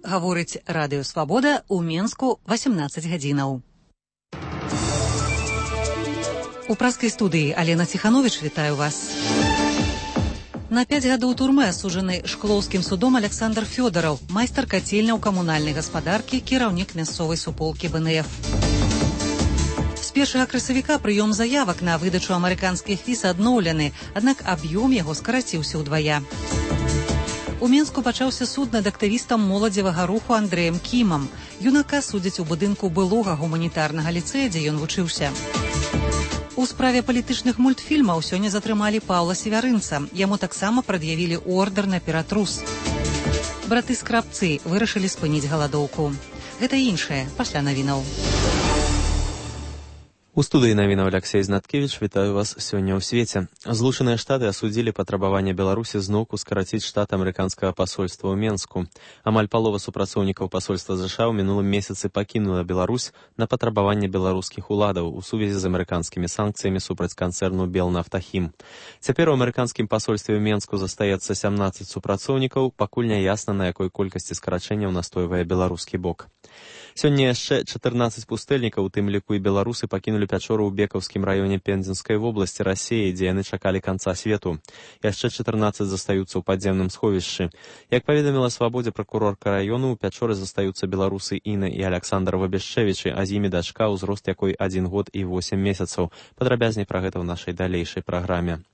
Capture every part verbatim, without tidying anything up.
гаворыць Радыё Свабода ў Менску васемнаццаць гадзінаў. У праскай студыі Алена Ціхановіч, вітаю вас. На пяць гадоў турмы асуджаны Шклоўскім судом Александр Фёдораў, майстар кацельняў камунальнай гаспадаркі, кіраўнік мясцовай суполкі бэ эн эф. З першага красавіка прыём заявак на выдачу амерыканскіх віз адноўлены, аднак аб'ём яго скараціўся ўдвая. У Менску пачаўся суд над актывістам моладзевага руху Андрэем Кімам. Юнака судзяць у будынку былога гуманітарнага ліцэя, дзе ён вучыўся. У справе палітычных мультфільмаў сёння затрымалі Паўла Севярынца. Яму таксама прад'явілі ордэр на ператрус. Браты Скрабцы вырашылі спыніць галадоўку. Гэта і іншае пасля навінаў. У студыі навінаў Алексей Знаткевіч, вітаю вас сёння ў свеце. Злучаныя Штаты асудзілі патрабаванне Беларусі зноўку скараціць штат амерыканскага пасольства ў Менску. Амаль палова супрацоўнікаў пасольства ЗША ў мінулым месяцы пакінула Беларусь на патрабаванне беларускіх уладаў у сувязі з амерыканскімі санкцыямі супраць канцэрну Белнафтахім. Цяпер у амерыканскім пасольстве ў Менску застаецца сямнаццаць супрацоўнікаў, пакуль не ясна, на якой колькасці скарачэнняў настойвае беларускі бок. Сёння яшчэ чатырнаццаць пустэльнікаў, у тым ліку і беларусы, пакінулі пячору ў Бекаўскім раёне Пензенскай вобласці Расіі, дзе яны чакалі канца свету. Яшчэ чатырнаццаць застаюцца ў падземным сховішчы. Як паведаміла Свабодзе пракурорка раёну, у пячоры застаюцца беларусы Інна і Аляксандр Вабяшчэвічы, а з імі дачка, узрост якой адзін год і восем месяцаў. Падрабязней пра гэта ў нашай далейшай праграме.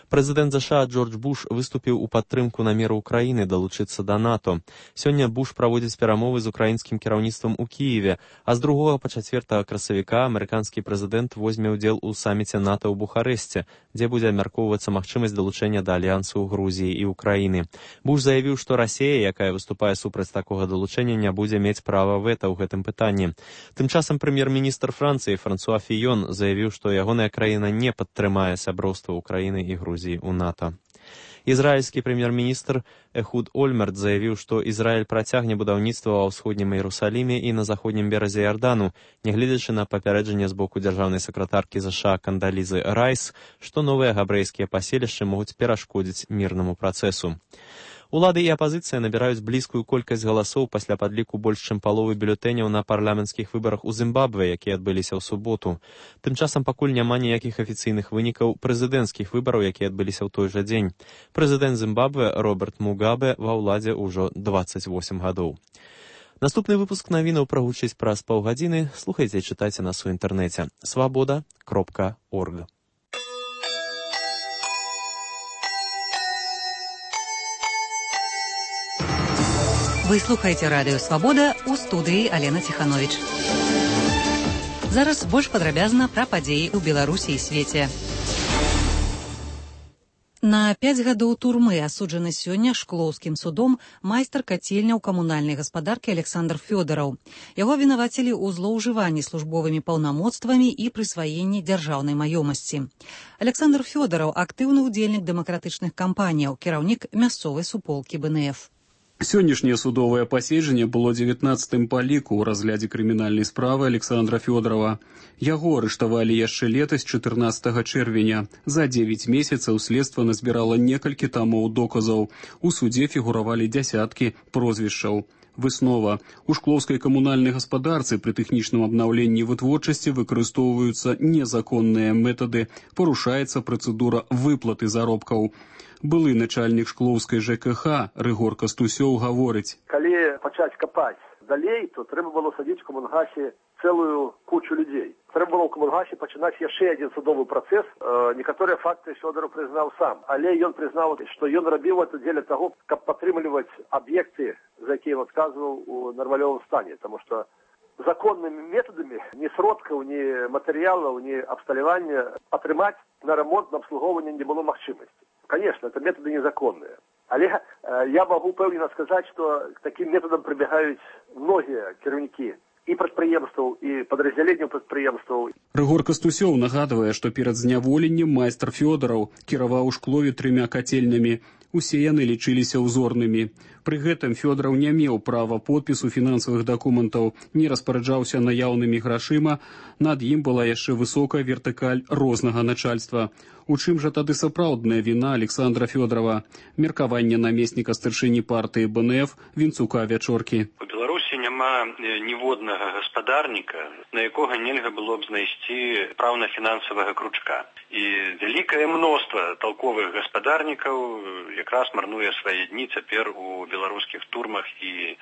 Прэзідэнт ЗША Джордж Буш выступіў у падтрымку намеру Украіны далучыцца да НАТО. Сёння Буш праводзіць перамовы з украінскім кіраўніцтвам у Кіеве, а з другога па чацвёртага красавіка амерыканскі прэзідэнт возьме ўдзел у саміце НАТО ў Бухарэсце, дзе будзе абмяркоўвацца магчымасць далучэння да альянсу Грузіі і Украіны. Буш заявіў, што Расія, якая выступае супраць такога далучэння, не будзе мець права вэта ў гэтым пытанні. Тым часам прэм'ер-міністр Францыі Франсуа Фіён заявіў, што ягоная краіна не падтрымае сяброўства Украіны і Грузіі у НАТО. Ізраільскі прэм'ер-міністр Эхуд Ольмерт заявіў, што Ізраіль працягне будаўніцтва ва ўсходнім Іерусаліме і на заходнім беразе Ярдану, нягледзячы на папярэджанне з боку дзяржаўнай сакратаркі ЗША Кандалізы Райс, што новыя габрэйскія паселішчы могуць перашкодзіць мірнаму працэсу. Улады і апазіцыя набіраюць блізкую колькасць галасоў пасля падліку больш чым паловы бюлетэняў на парламенцкіх выбарах у Зімбабве, якія адбыліся ў суботу. Тым часам пакуль няма ніякіх афіцыйных вынікаў прэзідэнцкіх выбараў, якія адбыліся ў той жа дзень. Прэзідэнт Зімбабве Роберт Мугабе ва ўладзе ўжо дваццаць восем гадоў. Наступны выпуск навінаў прагучыць праз паўгадзіны. Слухайце і чытайце нас у інтэрнэце свабода кропка орг. Вы слухаеце Радыё Свабода, у студыі Алена Ціхановіч. Зараз больш падрабязна пра падзеі ў Беларусі і свеце. На пяць гадоў турмы асуджаны сёння Шклоўскім судом майстар кацельняў камунальнай гаспадаркі Александр Фёдораў. Яго абвінавацілі ў злоўжыванні службовымі паўнамоцтвамі і прысваенні дзяржаўнай маёмасці. Александр Фёдораў актыўны ўдзельнік дэмакратычных кампаніяў, кіраўнік мясцовай суполкі бэ эн эф. Сённяшняе судовае паседжанне было дзевятнаццатым па ліку ў разглядзе крымінальнай справы Александра Фёдорава. Яго арыштавалі яшчэ летась чатырнаццатага чэрвеня. За дзевяць месяцаў следства назбірала некалькі тамоў доказаў. У судзе фігуравалі дзясяткі прозвішчаў. Выснова. У шклоўскай камунальнай гаспадарцы пры тэхнічным абнаўленні вытворчасці выкарыстоўваюцца незаконныя метады, парушаецца працэдура выплаты заробкаў. Былы начальнік шклоўскай жэ ка ха Рыгор Кастусёў гаворыць. Калі пачаць капаць далей, то трэба было садзіць в камунгасе цэлую кучу людзей. Трэба было ў камунгасе пачынаць яшчэ адзін судовы працэс. Э, некаторыя факты Фёдораў прызнаў сам, але ён прызнаў, што ён рабіў это дзеля таго, каб падтрымліваць аб'екты, за якія ён адказваў у нармалёвым стане, таму што законнымі метадамі ні сродкаў, ні матэрыялаў, ні абсталявання атрымаць на рамонт, на абслугоўванне не было магчымасці. Конечно, это методы незаконные. Але э, я могу упэўнена сказаць, што к таким методам прыбягаюць многія кіраўнікі і прадпрыемстваў, і падраздзяленняў прадпрыемстваў. Рыгор Кастусёў нагадвае, што перад зняволеннем майстар Фёдораў кіраваў у Шклове трымя кацельнямі. Усе яны лічыліся ўзорнымі. Пры гэтым Фёдораў не меў права подпісу фінансавых дакументаў, не распараджаўся наяўнымі грашыма, над ім была яшчэ высокая вертыкаль рознага начальства. У чым жа тады сапраўдная віна Александра Фёдорава? Меркаванне намесніка старшыні партыі бэ эн эф Вінцука Вячоркі. У Беларусі няма ніводнага гаспадарніка, на якога нельга было б знайсці праўна-фінансавага кручка. І вялікае мноства толковых гаспадарнікаў якраз марнуе свае дні цяпер у беларускіх турмах і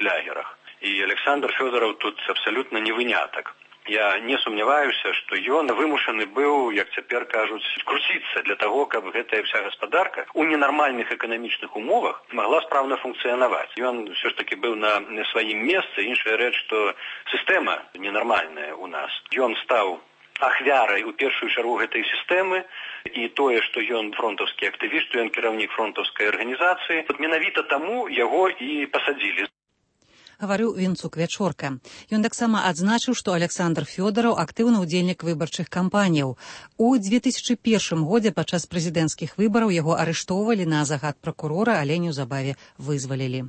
лягерах. І Александр Фёдораў тут абсалютна не вынятак. Я не сумняваюся, што ён вымушаны быў, як цяпер кажуць, круціцца для таго, каб гэтая вся гаспадарка у ненармальных эканамічных умовах магла спраўна функцыянаваць. Ён ўсё ж такі быў на сваім месцы, іншая рэч, што сістэма ненармальная ў нас. Ён стаў ахвярай у першую чаргу гэтай сістэмы, і тое, што ён фронтаўскі актывіст, што ён кіраўнік фронтаўскай арганізацыі, менавіта таму яго і пасадзілі. Гаварыў Вінцук Вячорка. Ён таксама адзначыў, што Александр Фёдораў актыўны ўдзельнік выбарчых кампаніяў. У две тысячы першым годзе падчас прэзідэнцкіх выбараў яго арыштоўвалі на загад пракурора, але неўзабаве вызвалілі.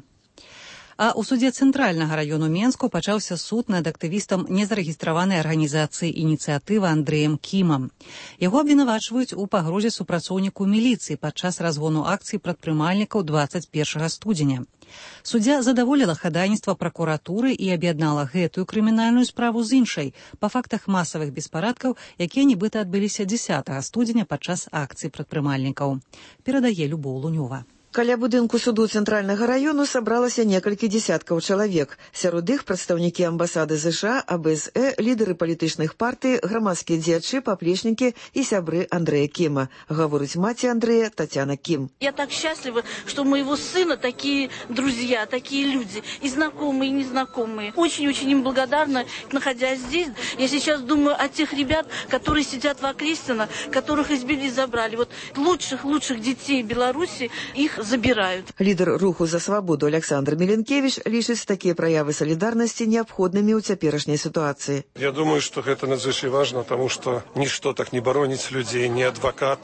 А ў судзе Цэнтральнага раёну Менску пачаўся суд над актывістам незарэгістраванай арганізацыі «Ініцыятыва» Андрэем Кімам. Яго абвінавачваюць у пагрозе супрацоўніку міліцыі падчас разгону акцыі прадпрымальнікаў дваццаць першага студзеня. Суддзя задаволіла хадайніцтва пракуратуры і аб'яднала гэтую крымінальную справу з іншай па фактах масавых беспарадкаў, якія нібыта адбыліся дзесятага студзеня падчас акцыі прадпрымальнікаў. Перадае Любоў Лунёва. Каля будынку суду Цэнтральнага раёну сабралася некалькі дзесяткаў чалавек. Сярод іх прадстаўнікі амбасады ЗША, а бэ эс э, лідары палітычных партый, грамадскія дзеячы, паплечнікі і сябры Андрэя Кіма. Гаворыць маці Андрэя Татьяна Кім. Я так счастлива, что у моего сына такие друзья, такие люди, и знакомые, и незнакомые. Очень-очень им благодарна, находясь здесь. Я сейчас думаю о тех ребят, которые сидят в Окрестино, которых избили и забрали. Вот лучших-лучших детей Беларуси, их забирают. Лідар руху за свабоду Александр Міленкевич лічыць такія праявы салідарнасці неабходнымі ў цяперашняй сітуацыі. Я думаю, што гэта надзвычай важна, таму што нішто так не бароніць людзей, не адвакат,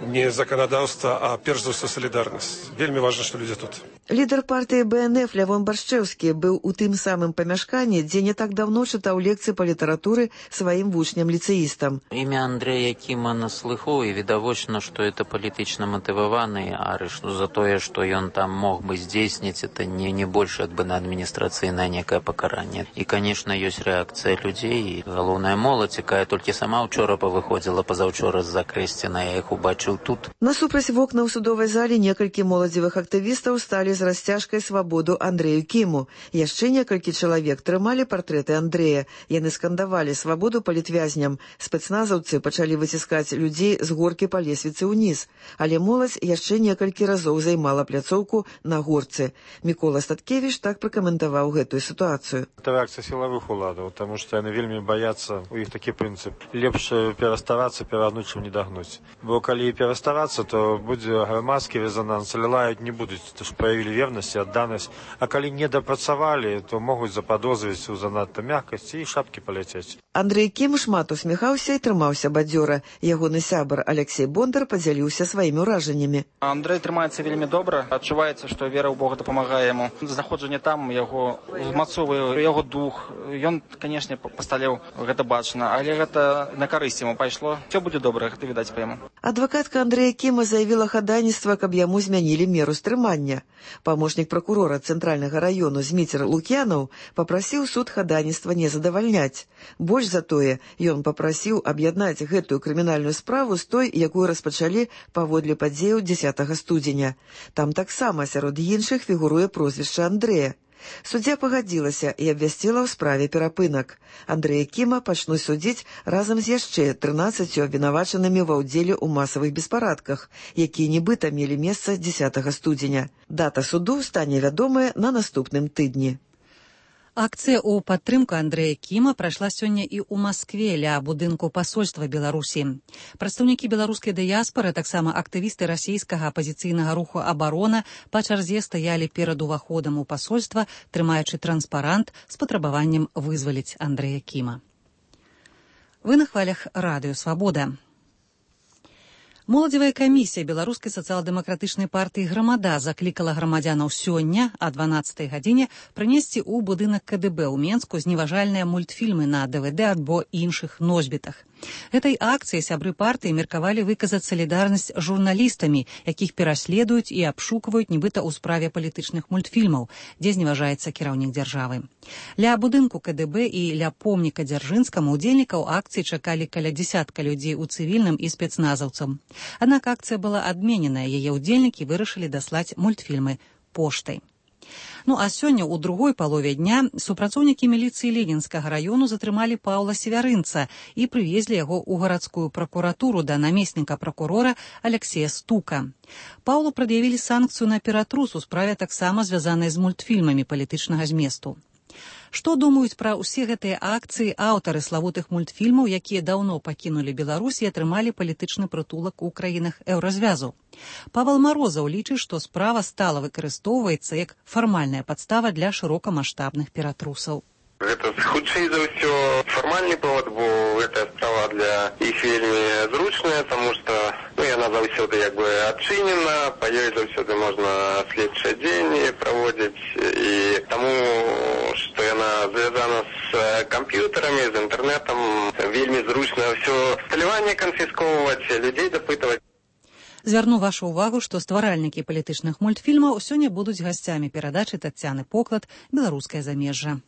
не заканадаўства, а перш за ўсё салідарнасць. Вельмі важна, што людзі тут. Лідар партыі бэ эн эф Лявон Баршчэўскі быў у тым самым памяшканні, дзе не так даўно чытаў лекцыі па літаратуры сваім вучням-ліцэістам. Імя Андрэя Кіма на слыху, і відавочна, што это палітычна матываваны арышт. За тое, што ён там мог бы здзейсніць, это не, не больш як бы на адміністрацыйнае некае пакаранне. І, канешне, ёсць рэакцыя людзей, і галоўная моладзь, якая толькі сама ўчора павыходзіла пазаўчора з-за Крэсціна, я іх убачыў тут. Насупраць вокна ў судовай зале некалькі моладзевых актывістаў сталі з расцяжкай свабоду Андрэю Кіму. Яшчэ некалькі чалавек трымалі партрэты Андрэя. Яны скандавалі свабоду палітвязням. Спецназаўцы пачалі выціскаць людзей з горкі па лесвіцы ўніз. Але моладзь яшчэ некалькі разоў займала пляцоўку на горцы. Мікола Статкевіч так пракаментаваў гэтую сітуацыю. Это рэакцыя сілавых уладаў, таму што яны вельмі баяцца, у іх такі прынцып. Лепш пераставацца, перагнуць, чым не дагнуць. Бо калі пераставацца, то будзе грамадскі рэзананс, але лаяць не будуць, то ж праявілі вернасць і адданасць. А калі не дапрацавалі, то могуць западозрыць у занадта мяккасці і шапкі паляцець. Андрэй Кім шмат усміхаўся і трымаўся бадзёра. Ягоны сябар Алексей Бондар падзяліўся сваімі ўражаннямі. Андрэй трымаецца вельмі добра, адчуваецца, што вера ў Бога дапамагае яму. Знаходжанне там яго узмацоўвае яго дух. Ён, канешне, пасталеў, гэта бачна, але гэта на карысць яму пайшло. Всё будзе добра, гэта відаць па яму. Адвакатка Андрэя Кіма заявіла хадайніцтва, каб яму змянілі меру стрымання. Памочнік пракурора Цэнтральнага раёну Зміцер Лук'янаў папрасіў суд хадайніцтва не задавальняць. Больш за тое, ён папрасіў аб'яднаць гэтую крымінальную справу з той, якую распачалі паводле падзеяў дзесятага студзеня. Там таксама сярод іншых фігуруе прозвішча Андрэя. Суддзя пагадзілася і абвясціла ў справе перапынак. Андрэя Кіма пачнуць судзіць разам з яшчэ трынаццаццю абвінавачанымі ва ўдзеле ў масавых беспарадках, якія нібыта мелі месца дзесятага студзеня. Дата суду стане вядомая на наступным тыдні. Акцыя ў падтрымку Андрэя Кіма прайшла сёння і ў Маскве ля будынку пасольства Беларусі. Прадстаўнікі беларускай дыяспары, таксама актывісты расійскага апазіцыйнага руху «Абарона» па чарзе стаялі перад уваходам у пасольства, трымаючы транспарант з патрабаваннем вызваліць Андрэя Кіма. Вы на хвалях радыё «Свабода». Моладзевая камісія беларускай сацыял-дэмакратычнай партыі «Грамада» заклікала грамадзянаў сёння а дванаццатай гадзіне прынесці ў будынак ка дэ бэ ў Менску зневажальныя мультфільмы на дэ вэ дэ альбо іншых носьбітах. Гэтай акцыяй сябры партыі меркавалі выказаць салідарнасць з журналістамі, якіх пераследуюць і абшукваюць нібыта ў справе палітычных мультфільмаў, дзе зневажаецца кіраўнік дзяржавы. Ля будынку ка дэ бэ і ля помніка Дзяржынскаму удзельнікаў акцыі чакалі каля дзясятка людзей у цывільным і спецназаўцам. Аднак акцыя была адмененая, яе ўдзельнікі вырашылі даслаць мультфільмы поштай. Ну а сёння ў другой палове дня супрацоўнікі міліцыі Ленінскага раёну затрымалі Паўла Севярынца і прывезлі яго ў гарадскую пракуратуру да намесніка пракурора Алексея Стука. Паўлу прад'явілі санкцыю на ператрус у справе таксама звязанай з мультфільмамі палітычнага зместу. Што думаюць пра ўсе гэтыя акцыі аўтары славутых мультфільмаў, якія даўно пакінулі Беларусь і атрымалі палітычны прытулак у краінах еўразвязу? Павел Марозаў лічыць, што справа стала выкарыстоўваецца як фармальная падстава для шырокамаштабных ператрусаў. Гэта хутчэй за ўсё фармальны повод, бо гэтая справа для іх вельмі зручная, таму што ну, яна заўсёды як бы адчынена, па ёй заўсёды можна следчыя дзеянні праводзіць, і таму, што яна звязана з камп'ютарамі, з інтэрнэтам, вельмі зручна ўсё сталяванне канфіскоўваць, людзей дапытваць. Звярну вашу ўвагу, што стваральнікі палітычных мультфільмаў сёння будуць гасцямі перадачы Таццяны Поклад «Беларускае замежжа».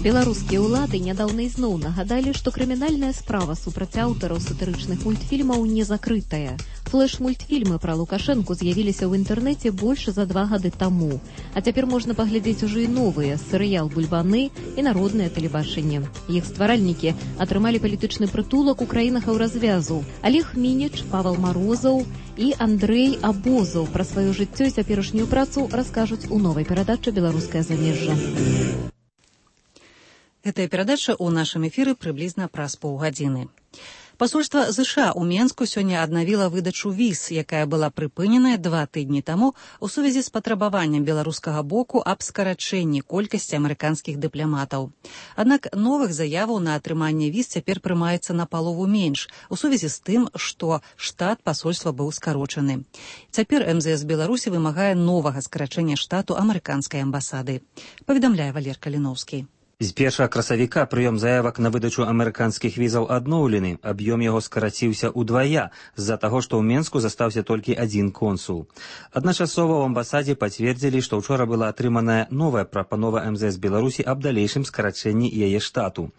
Беларускія ўлады нядаўна ізноў нагадалі, што крымінальная справа супраць аўтараў сатырычных мультфільмаў не закрытая. Флэш-мультфільмы пра Лукашэнку з'явіліся ў інтэрнэце больш за два гады таму. А цяпер можна паглядзець ужо і новыя серыял «Бульбаны» і народнае тэлебачанне. Іх стваральнікі атрымалі палітычны прытулак у краінах еўразвязу. Олег Мініч, Павел Марозаў і Андрэй Абозаў пра сваё жыццё і цяперашнюю працу раскажуць у новай перадачы «Беларускае замежжа». Гэтая перадача ў нашым эфіры прыблізна праз паўгадзіны. Пасольства ЗША ў Менску сёння аднавіла выдачу віз, якая была прыпыненая два тыдні таму у сувязі з патрабаваннем беларускага боку аб скарачэнні колькасці амерыканскіх дыпламатаў. Аднак новых заяваў на атрыманне віз цяпер прымаецца на палову менш у сувязі з тым, што штат пасольства быў скарочаны. Цяпер эм зэ эс Беларусі вымагае новага скарачэння штату амерыканскай амбасады. Паведамляе Валер Каліноўскі. З першага красавіка прыём заявак на выдачу амерыканскіх візаў адноўлены. Аб'ём яго скараціўся ўдвая з-за таго, што ў Менску застаўся толькі адзін консул. Адначасова ў амбасадзе пацвердзілі, што ўчора была атрыманая новая прапанова эм зэ эс Беларусі аб далейшым скарачэнні яе штату.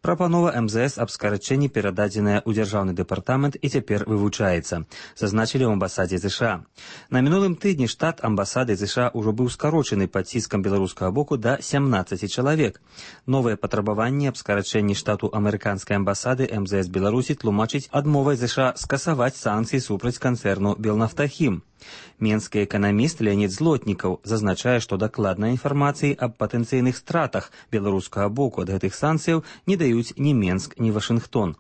Прапанова эм зэ эс аб скарачэнні перададзеная ў дзяржаўны дэпартамент і цяпер вывучаецца, зазначылі ў амбасадзе ЗША. На мінулым тыдні штат амбасады ЗША ўжо быў скарочаны пад ціскам беларускага боку да сямнаццаці чалавек. Новае патрабаванне аб скарачэнні штату амерыканскай амбасады эм зэ эс Беларусі тлумачыць адмовай ЗША скасаваць санкцыі супраць канцэрну «Белнафтахім». Менскі эканаміст Леонід Злотнікаў зазначае, што дакладнай інфармацыі аб патэнцыйных стратах беларускага боку ад гэтых санкцыяў не даюць ні Менск, ні Вашынгтон.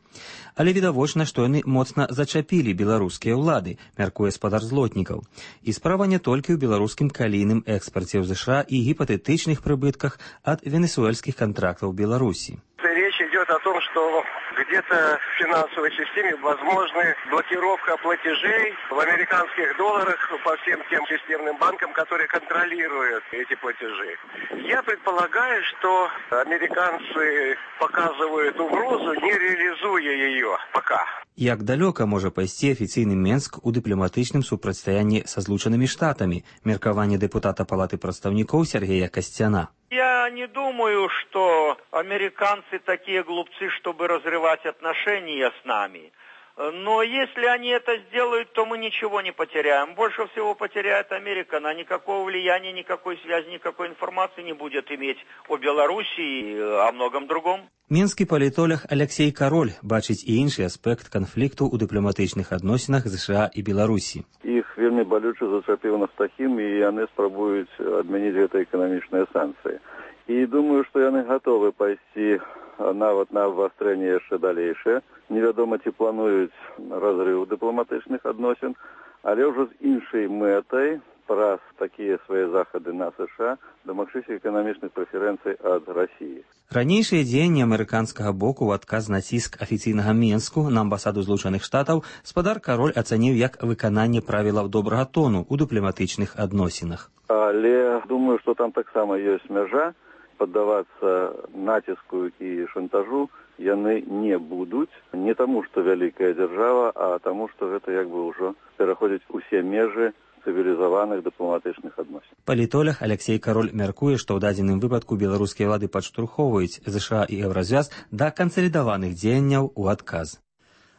Але відавочна, што яны моцна зачапілі беларускія ўлады, мяркуе спадар Злотнікаў. І справа не толькі ў беларускім калійным экспарце ў ЗША і гіпатэтычных прыбытках ад венесуэльскіх контрактаў Беларусі. Речь идет о том, что где-то в финансовой системе возможна блокировка платежей в американских долларах по всем тем системным банкам, которые контролируют эти платежи. Я предполагаю, что американцы показывают угрозу, не реализуя ее пока. Як далёка можа пайсці афіцыйны Менск у дыпламатычным супрацьстаянні са Злучанымі Штатамі? Меркаванне дэпутата Палаты прадстаўнікоў Сергея Касцяна. Я не думаю, что американцы такие глупцы, чтобы разрывать отношения с нами. Но если они это сделают, то мы ничего не потеряем. Больше всего потеряет Америка. Она никакого влияния, никакой связи, никакой информации не будет иметь о Беларуси и о многом другом. Менскі палітолог Алексей Кароль бачыць і іншы аспект канфлікту ў дыпламатычных адносінах ЗША і Беларусі. Іх вельмі балюча зачапіў Нафтахім, і яны спрабуюць адмяніць гэтыя эканамічныя санкцыі. І думаю, што яны гатовы пайсці нават на абвастрэнне яшчэ далейшае. Невядома, ці плануюць разрыў дыпламатычных адносін, але ўжо з іншай мэтай, праз такія свае захады на США, дамагчыся эканамічных прэферэнцый ад Расіі. Ранейшыя дзеянні амерыканскага боку ў адказ на ціск афіцыйнага Менску на амбасаду Злучаных Штатаў спадар Кароль ацаніў як выкананне правілаў добрага тону ў дыпламатычных адносінах. Але думаю, што там таксама ёсць мяжа, паддавацца націску і шантажу яны не будуць, не таму, што вялікая дзяржава, а таму, што гэта як бы ўжо пераходзіць усе межы цывілізаваных дыпламатычных адносін. Палітолог Алексей Кароль мяркуе, што ў дадзеным выпадку беларускія ўлады падштурхоўваюць ЗША і Еўразвяз да кансалідаваных дзеянняў у адказ.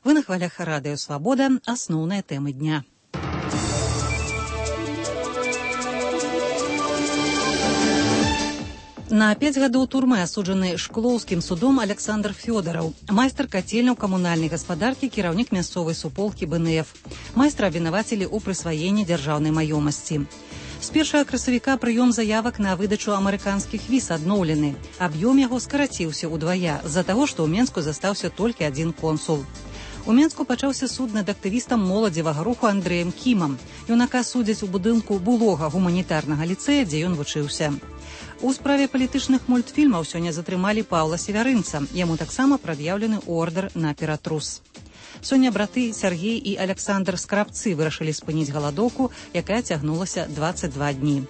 Вы на хвалях радыё «Свабода». Асноўныя тэмы дня. На пяць гадоў турмы асуджаны шклоўскім судом Александр Фёдараў, майстар кацельняў камунальнай гаспадаркі, кіраўнік мясцовай суполкі Бэ Эн Эф. Майстра абвінавацілі ў прысваенні дзяржаўнай маёмасці. З першага красавіка прыём заявак на выдачу амерыканскіх віз адноўлены. Аб'ём яго скараціўся ўдвая з-за таго, што ў Менску застаўся толькі адзін консул. У Менску пачаўся суд над актывістам моладзевага руху Андрэем Кімам. Юнака судзяць у будынку былога гуманітарнага ліцэя, дзе ён вучыўся. У справе палітычных мультфільмаў сёння затрымалі Паўла Севярынца. Яму таксама прад'яўлены ордэр на ператрус. Сёння браты Сяргей і Александр Скрабцы вырашылі спыніць галадоўку, якая цягнулася дваццаць два дні.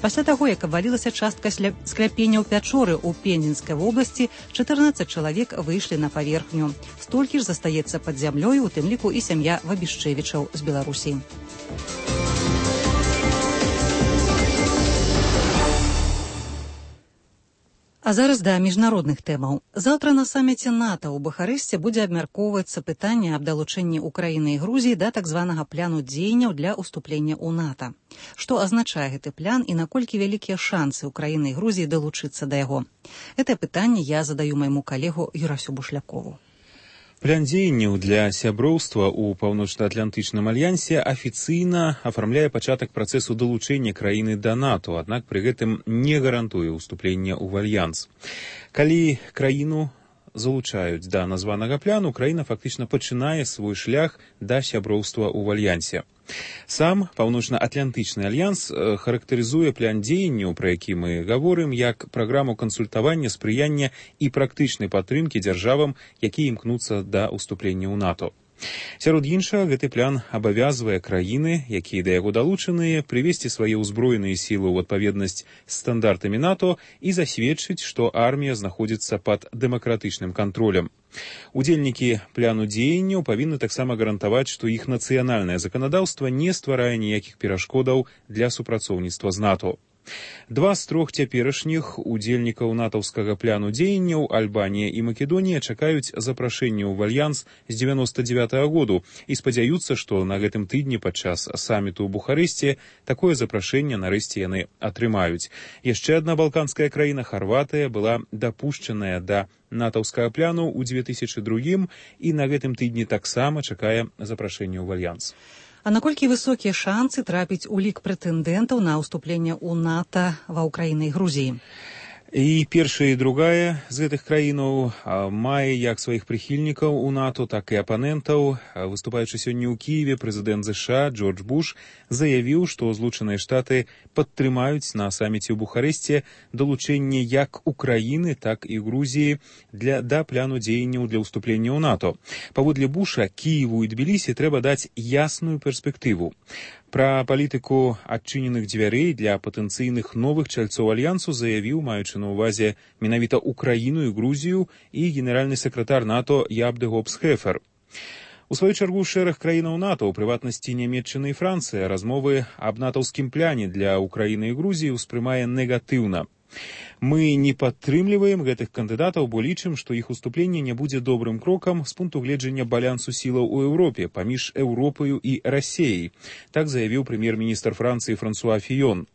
Пасля таго, як абвалілася частка скляпення ў пячоры ў Пензенскай вобласці, чатырнаццаць чалавек выйшлі на паверхню. Столькі ж застаецца пад зямлёю, у тым ліку і сям'я Вабішчэвічаў з Беларусі. А зараз да міжнародных тэмаў. Заўтра на саміце НАТО ў Бухарэсце будзе абмяркоўвацца пытанне аб далучэнні Украіны і Грузіі да так званага пляну дзеянняў для ўступлення ў НАТО. Што азначае гэты плян і наколькі вялікія шансы Украіны і Грузіі далучыцца да яго? Гэтае пытанне я задаю майму калегу Юрасю Бушлякову. План дзеянняў для сяброўства ў паўночна-атлантычным альянсе афіцыйна афармляе пачатак працэсу далучэння краіны да НАТО, аднак пры гэтым не гарантуе ўступлення ў альянс. Калі краіну залучаюць да названага пляну, краіна фактычна пачынае свой шлях да сяброўства ў альянсе. Сам паўночна-атлантычны альянс характарызуе план дзеянняў, пра які мы гаворым, як праграму кансультавання, спрыяння і практычнай падтрымкі дзяржавам, якія імкнуцца да ўступлення ў НАТО. Сярод іншага, гэты план абавязвае краіны, якія да яго далучаныя, прывесці свае ўзброеныя сілы ў адпаведнасць з стандартамі НАТО і засведчыць, што армія знаходзіцца пад дэмакратычным кантролем. Удзельнікі пляну дзеянняў павінны таксама гарантаваць, што іх нацыянальнае заканадаўства не стварае ніякіх перашкодаў для супрацоўніцтва з НАТО. Два з трох цяперашніх удзельнікаў натаўскага пляну дзеянняў, Альбанія і Македонія, чакаюць запрашэння ў альянс з дзевяноста дзевятага году і спадзяюцца, што на гэтым тыдні падчас саміту ў Бухарэсце такое запрашэнне нарэшце яны атрымаюць. Яшчэ адна балканская краіна, Харватыя, была дапушчаная да натаўскага пляну ў дзве тысячы другім і на гэтым тыдні таксама чакае запрашэння ў альянс. А наколькі высокія шансы трапіць у лік прэтэндэнтаў на ўступленне ў НАТО ва Ўкраіны і Грузіі? І першая і другая з гэтых краінаў мае як сваіх прыхільнікаў у НАТО, так і апанентаў. Выступаючы сёння ў Кіеве, прэзідэнт ЗША Джордж Буш заявіў, што Злучаныя Штаты падтрымаюць на саміце ў Бухарэсце далучэнне як Украіны, так і Грузіі для да пляну дзеянняў для ўступлення ў НАТО. Паводле Буша, Кіеву і Тбілісі трэба даць ясную перспектыву. Пра палітыку адчыненых дзвярэй для патэнцыйных новых чальцоў альянсу заявіў, маючы на ўвазе менавіта Украіну і Грузію, і генеральны сакратар НАТО Ябде Гобс-Хефер. У сваю чаргу шэраг краінаў НАТО, у прыватнасці Нямецчына і Францыя, размовы аб натаўскім пляне для Украіны і Грузіі ўспрымае негатыўна. Мы не падтрымліваем гэтых кандыдатаў, бо лічым, што іх уступленне не будзе добрым крокам з пункту гледжання балансу сілаў у Еўропе паміж Еўропаю і Расіяй. Так заявіў прэм'ер-міністр Францыі Франсуа Фіён.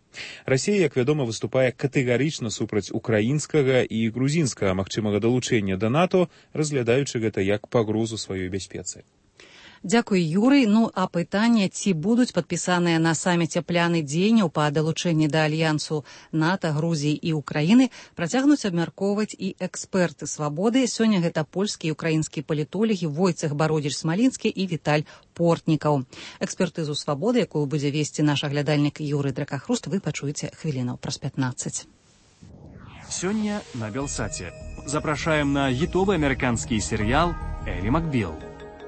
Расія, як вядома, выступае катэгарычна супраць украінскага і грузінскага магчымага далучэння да НАТО, разглядаючы гэта як пагрозу сваёй бяспецы. Дзякуй, Юрый. Ну, а пытанне, ці будуць падпісаныя на саміце пляны дзеянняў па далучэнні да альянсу НАТО, Грузіі і Украіны, працягнуць абмяркоўваць і эксперты «Свабоды». Сёння гэта польскія і украінскія палітолагі Войцех Бародзіч-Смалінскі і Віталь Портнікаў. Экспертызу «Свабоды», якую будзе весці наш аглядальнік Юрый Дракахруст, вы пачуеце хвілінаў праз пятнаццаць. Сёння на Белсаце. Запрашаем на хітовы амерыканскі серыял «Элі Макбел».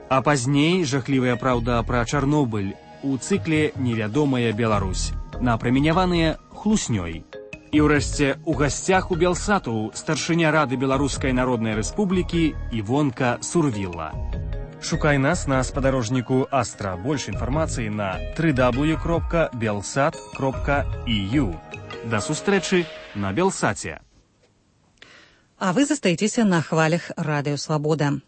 А пазней жахлівая праўда пра Чарнобыль у цыкле «Невядомая Беларусь», напраміняваныя хлуснёй. І ўрэшце у гасцях у Белсату старшыня Рады Беларускай Народнай Рэспублікі Івонка Сурвілла. Шукай нас на спадарожніку Астра. Больш інфармацыі на дабл ю дабл ю дабл ю кропка белсат кропка і ю. Да сустрэчы на Белсаце. А вы застаецеся на хвалях Радыё Свабода.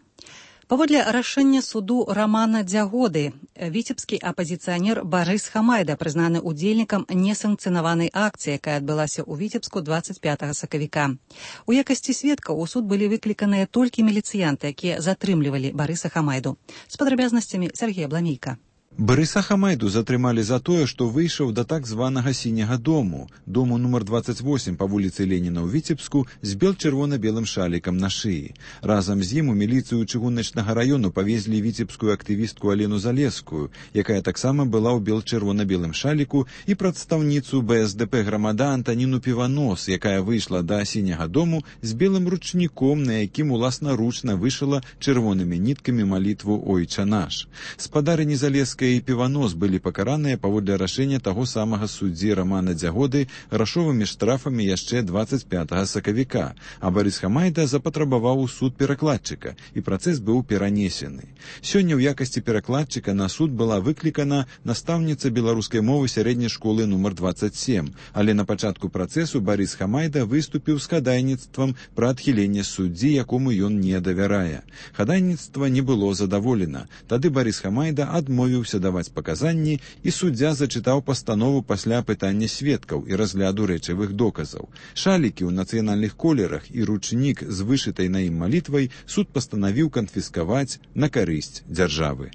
Паводле рашэння суду Рамана Дзягоды, віцебскі апазіцыянер Барыс Хамайда прызнаны удзельнікам несанкцыянаванай акцыі, якая адбылася ў Віцебску дваццаць пятага сакавіка. У якасці сведкаў у суд былі выкліканыя толькі міліцыянты, якія затрымлівалі Барыса Хамайду. З падрабязнасцямі Сергея Бламейка. Барыса Хамайду затрымалі за тое, што выйшаў да так званага сіняга дому, дому нумар дваццаць восем па вуліцы Леніна ў Віцебску з бел-чырвона-белым шалікам на шыі. Разам з ім у міліцыю чыгуначнага раёну павезлі віцебскую актывістку Алену Залескую, якая таксама была ў бел-чырвона-белым шаліку, і прадстаўніцу бэ эс дэ пэ грамада Антаніну Піванос, якая выйшла да сіняга дому з белым ручніком, на якім уласнаручна вышыла чырвонымі ніткамі малітву «Ойча наш». Спадарыні Залескай і Піванос былі пакараныя паводле рашэння таго самага суддзі Рамана Дзягоды грашовымі штрафамі яшчэ дваццаць пятага сакавіка, а Барыс Хамайда запатрабаваў у суд перакладчыка, і працэс быў перанесены. Сёння ў якасці перакладчыка на суд была выклікана настаўніца беларускай мовы сярэдняй школы нумар дваццаць сем, але на пачатку працэсу Барыс Хамайда выступіў з хадайніцтвам пра адхіленне суддзі, якому ён не давярае. Хадайніцтва не было задаволена. Тады Барыс Хамайда адмовіўся даваць паказанні, і суддзя зачытаў пастанову пасля пытання сведкаў і разгляду рэчавых доказаў. Шалікі ў нацыянальных колерах і ручнік з вышытай на ім малітвай суд пастанавіў канфіскаваць на карысць дзяржавы.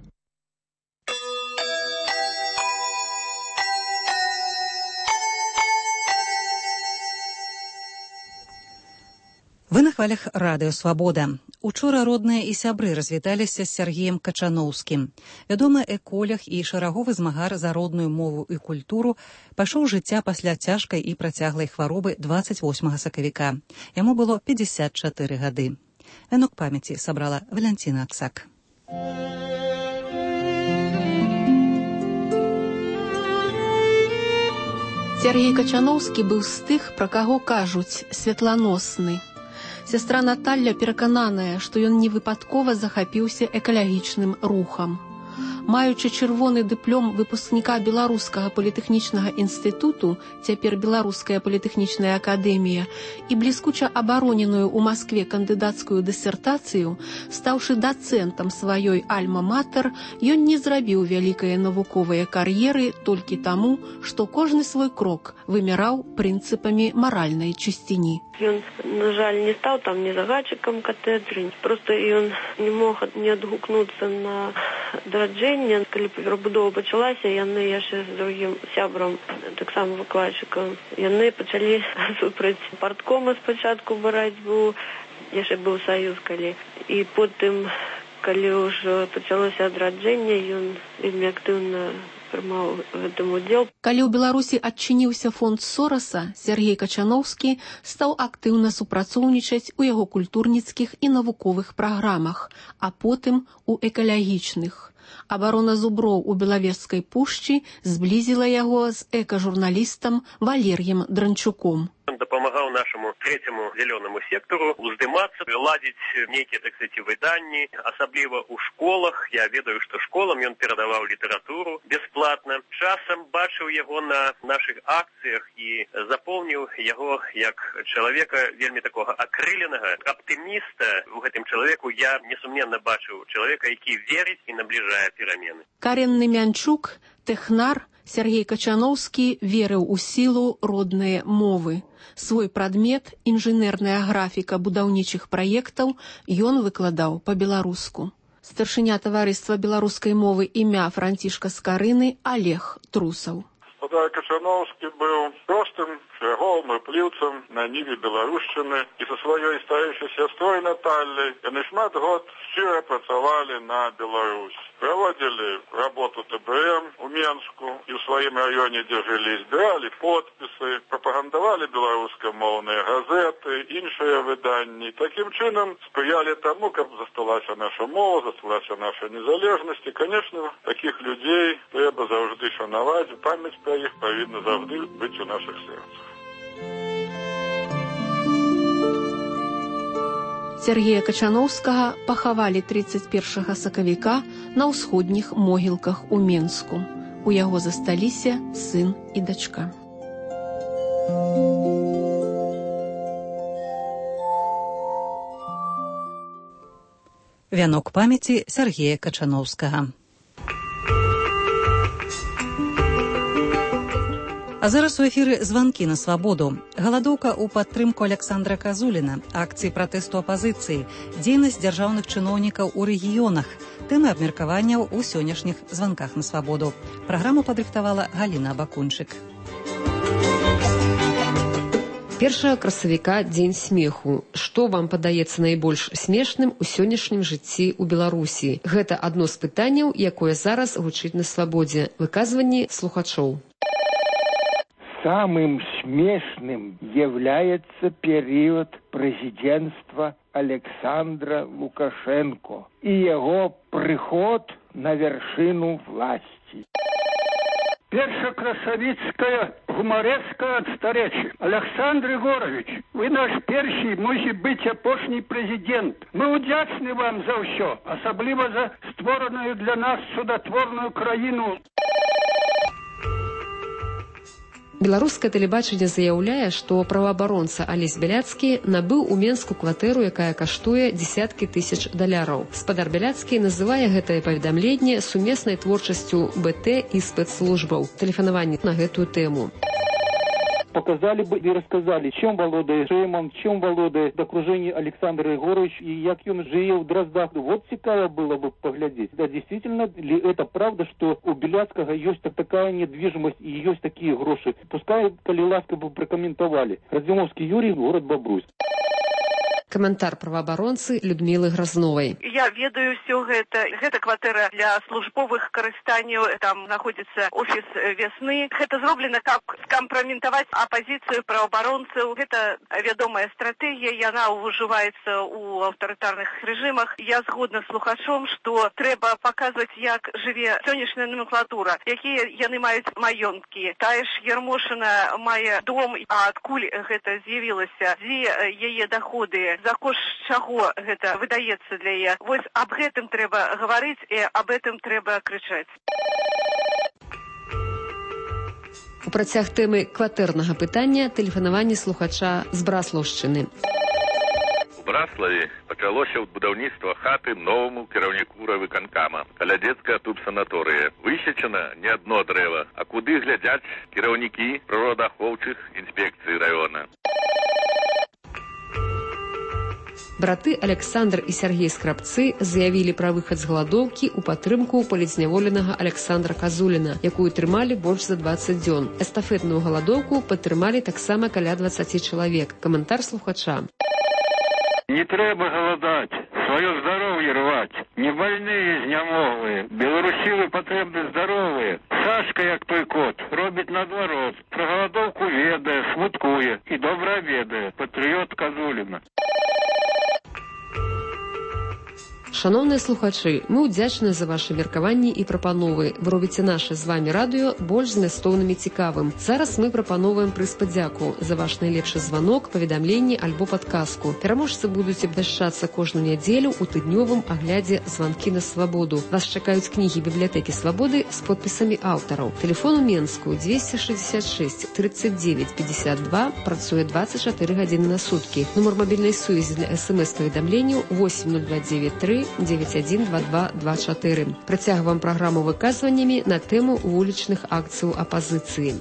Вы на хвалях Радыё Свабода. Учора родныя і сябры развіталіся з Сергеем Качаноўскім. Вядомы эколог і шараговы змагар за родную мову і культуру пайшоў жыцця пасля цяжкай і працяглай хваробы дваццаць восьмага сакавіка. Яму было пятьдесят чатыры гады. Вянок памяці сабрала Валянціна Аксак. Сергей Качаноўскі быў з тых, пра каго кажуць «святланосны». Сястра Наталля перакананая, што ён невыпадкова захапіўся экалагічным рухам. Маючы чырвоны дыплом выпускніка Беларускага політэхнічнага інстытуту, цяпер Беларуская політэхнічная акадэмія, і бліскуча абароненую ў Маскве кандыдацкую дысертацыю, стаўшы дацэнтам сваёй альма-матэр, ён не зрабіў вялікае навуковыя кар'еры толькі таму, што кожны свой крок вымяраў прынцыпамі маральнай чысціні. Ён, на жаль, не стаў там ні загадчыкам катедры, проста ён не мог не адгукнуцца на дараджэнне. Калі перабудова пачалася, яны яшчэ з другім сябрам, таксама выкладчыкам, яны пачалі супраць парткома спачатку барацьбу, яшчэ быў саюз калі. І потым, калі ўжо пачалося адраджэнне, ён вельмі актыўна прымаў гэтым удзел. Калі ў Беларусі адчыніўся фонд Сораса, Сергей Качаноўскі стаў актыўна супрацоўнічаць у яго культурніцкіх і навуковых праграмах, а потым у экалагічных. Абарона зуброў у Белавежскай пушчы зблізіла яго з экажурналістам Валер'ем Дранчуком. Он дапамагаў нашаму трэцяму зялёнаму сектару уздымацца, ладзіць нейкія, так сказать, выданні, асабліва ў школах. Я ведаю, што школам ён перадаваў літаратуру бясплатна. Часам бачыў яго на нашых акцыях і запомніў яго як чалавека вельмі такога акрыленага, аптыміста. У гэтым чалавеку я несумненна бачыў чалавека, які верыць і набліжае перамены. Каренны Мянчук, тэхнар, Сергей Качаноўскі верыў у сілу роднай мовы. Свой прадмет, інжынерная графіка будаўнічых праектаў, ён выкладаў па-беларуску. Старшыня таварыства беларускай мовы імя Францішка Скарыны Олег Трусаў. Спадар Качановскі быў простым шляхом і пліўцам на ніве беларушчыны і са сваёй старэйшай сястрой Натальяй яны шмат год шчыра працавалі на Беларусь. Праводзілі работу Тэ Бэ Эм у Менску і ў сваім раёне, дзе жылі, збіралі подпісы, прапагандавалі беларускамоўныя газеты, іншыя выданні. Такім чынам спрыялі таму, каб засталася наша мова, засталася наша незалежнасць. І, канешне, такіх людзей трэба заўжды шанаваць, памяць пра іх павінна заўжды быць у нашых сэрцах. Сергея Качановскага пахавалі трыццаць першага сакавіка на ўсходніх могілках у Менску. У яго засталіся сын і дачка. Вянок памяці Сергея Качановскага. А зараз у эфіры званкі на свабоду. Галадоўка ў падтрымку Александра Казуліна, акцыі пратэсту апазіцыі, дзейнасць дзяржаўных чыноўнікаў у рэгіёнах, тэмы абмеркаванняў у сённяшніх званках на свабоду. Праграму падрыхтавала Галіна Бакунчык. першага красавіка дзень смеху. Што вам падаецца найбольш смешным у сённяшнім жыцці ў Беларусі? Гэта адно з пытанняў, якое зараз гучыць на свабодзе. Выказванні слухачоў. Самым смешным является период президентства Александра Лукашенко и его приход на вершину власти. Першакрасавіцкая гумарэцкая адстарэчы. Александр Егорович, вы наш першы, можа быць, апошні прэзідэнт. Мы удзячны вам за ўсё, асабліва за створаную для нас судатворную краіну. Беларускае тэлебачанне заяўляе, што праваабаронца Алесь Бяляцкі набыў у Менску кватэру, якая каштуе дзесяткі тысяч даляраў. Спадар Бяляцкі называе гэтае паведамленне сумеснай творчасцю Бэ Тэ і спецслужбаў. Тэлефанаванне на гэтую тэму. Показали бы и рассказали, чем володает Шейман, чем володает окружение Александр Егорович и как он жил в Дроздах. Вот цікаво было бы поглядеть. Да, действительно ли это правда, что у Беляцкого есть такая недвижимость и есть такие гроши? Пускай, коли ласка бы прокомментовали. Радзимовский Юрий, город Бобруйск. Каментар праваабаронцы Людмілы Гразновай. Я ведаю все гэта. Гэта кватэра для службовых карыстанняў. Там находится офис весны. Гэта зроблена, как скампраметаваць апозицию праваабаронцаў. Гэта вядомая стратегія. Яна ўжываецца у аўтарытарных режимах. Я згодна з слухачом, што трэба паказваць, як жыве сённяшняя номенклатура, якія яны маюць маёнткі. Тая ж Ярмошына мае дом, а адкуль гэта з'явілася, дзе яе даходы, за кошт чаго гэта выдаецца для яе. Вось аб гэтым трэба гаварыць і аб гэтым трэба крычаць. У працяг тэмы кватэрнага пытання тэлефанаванне слухача з Браслаўшчыны. У Браславе пачалося будаўніцтва хаты новаму кіраўніку райвыканкама. Каля дзецкая тубсанаторыя. Высечана не адно дрэва, а куды глядзяць кіраўнікі прыродаахоўчых інспекцый раёна. Браты Александр і Сергей Скрабцы заявілі пра выхад з галадоўкі ў падтрымку палітзняволенага Александра Казуліна, якую трымалі больш за дваццаць дзён. Эстафетную галадоўку падтрымалі таксама каля дваццаці чалавек. Каментар слухача. Не трэба галадаць, сваё здароўе рваць. Не больныя, знямоглыя. Беларусілы патрэбны здаровыя. Сашка, як той кот, робіць наадварот. Пра галадоўку ведае, смуткуе і добра ведае. Патрыёт Казуліна. Шановныя слухачы, мы ўдзячны за ваши меркаванні і прапановы. Вы робіце наше з вами радыё больш змястоўным і цікавым. Зараз мы прапановваем прыз падзяку за ваш найлепшы званок, паведамленне альбо падказку. Пераможцы будуць абвяшчацца кожную нядзелю ў тыднёвым аглядзе званкі на свабоду. Вас чакаюць кнігі бібліятэкі свабоды з подпісамі аўтараў. Тэлефон у Менску двести шестьдесят шесть тридцать девять пятьдесят два, працуе двадцать четыре гадзіны на суткі. Нумар мабільнай сувязі для смс-паведамленняў восемь ноль два девять три девять один два два два четыре. Працягваем праграму выказваннямі на тэму вулічных акцыяў апазіцыі.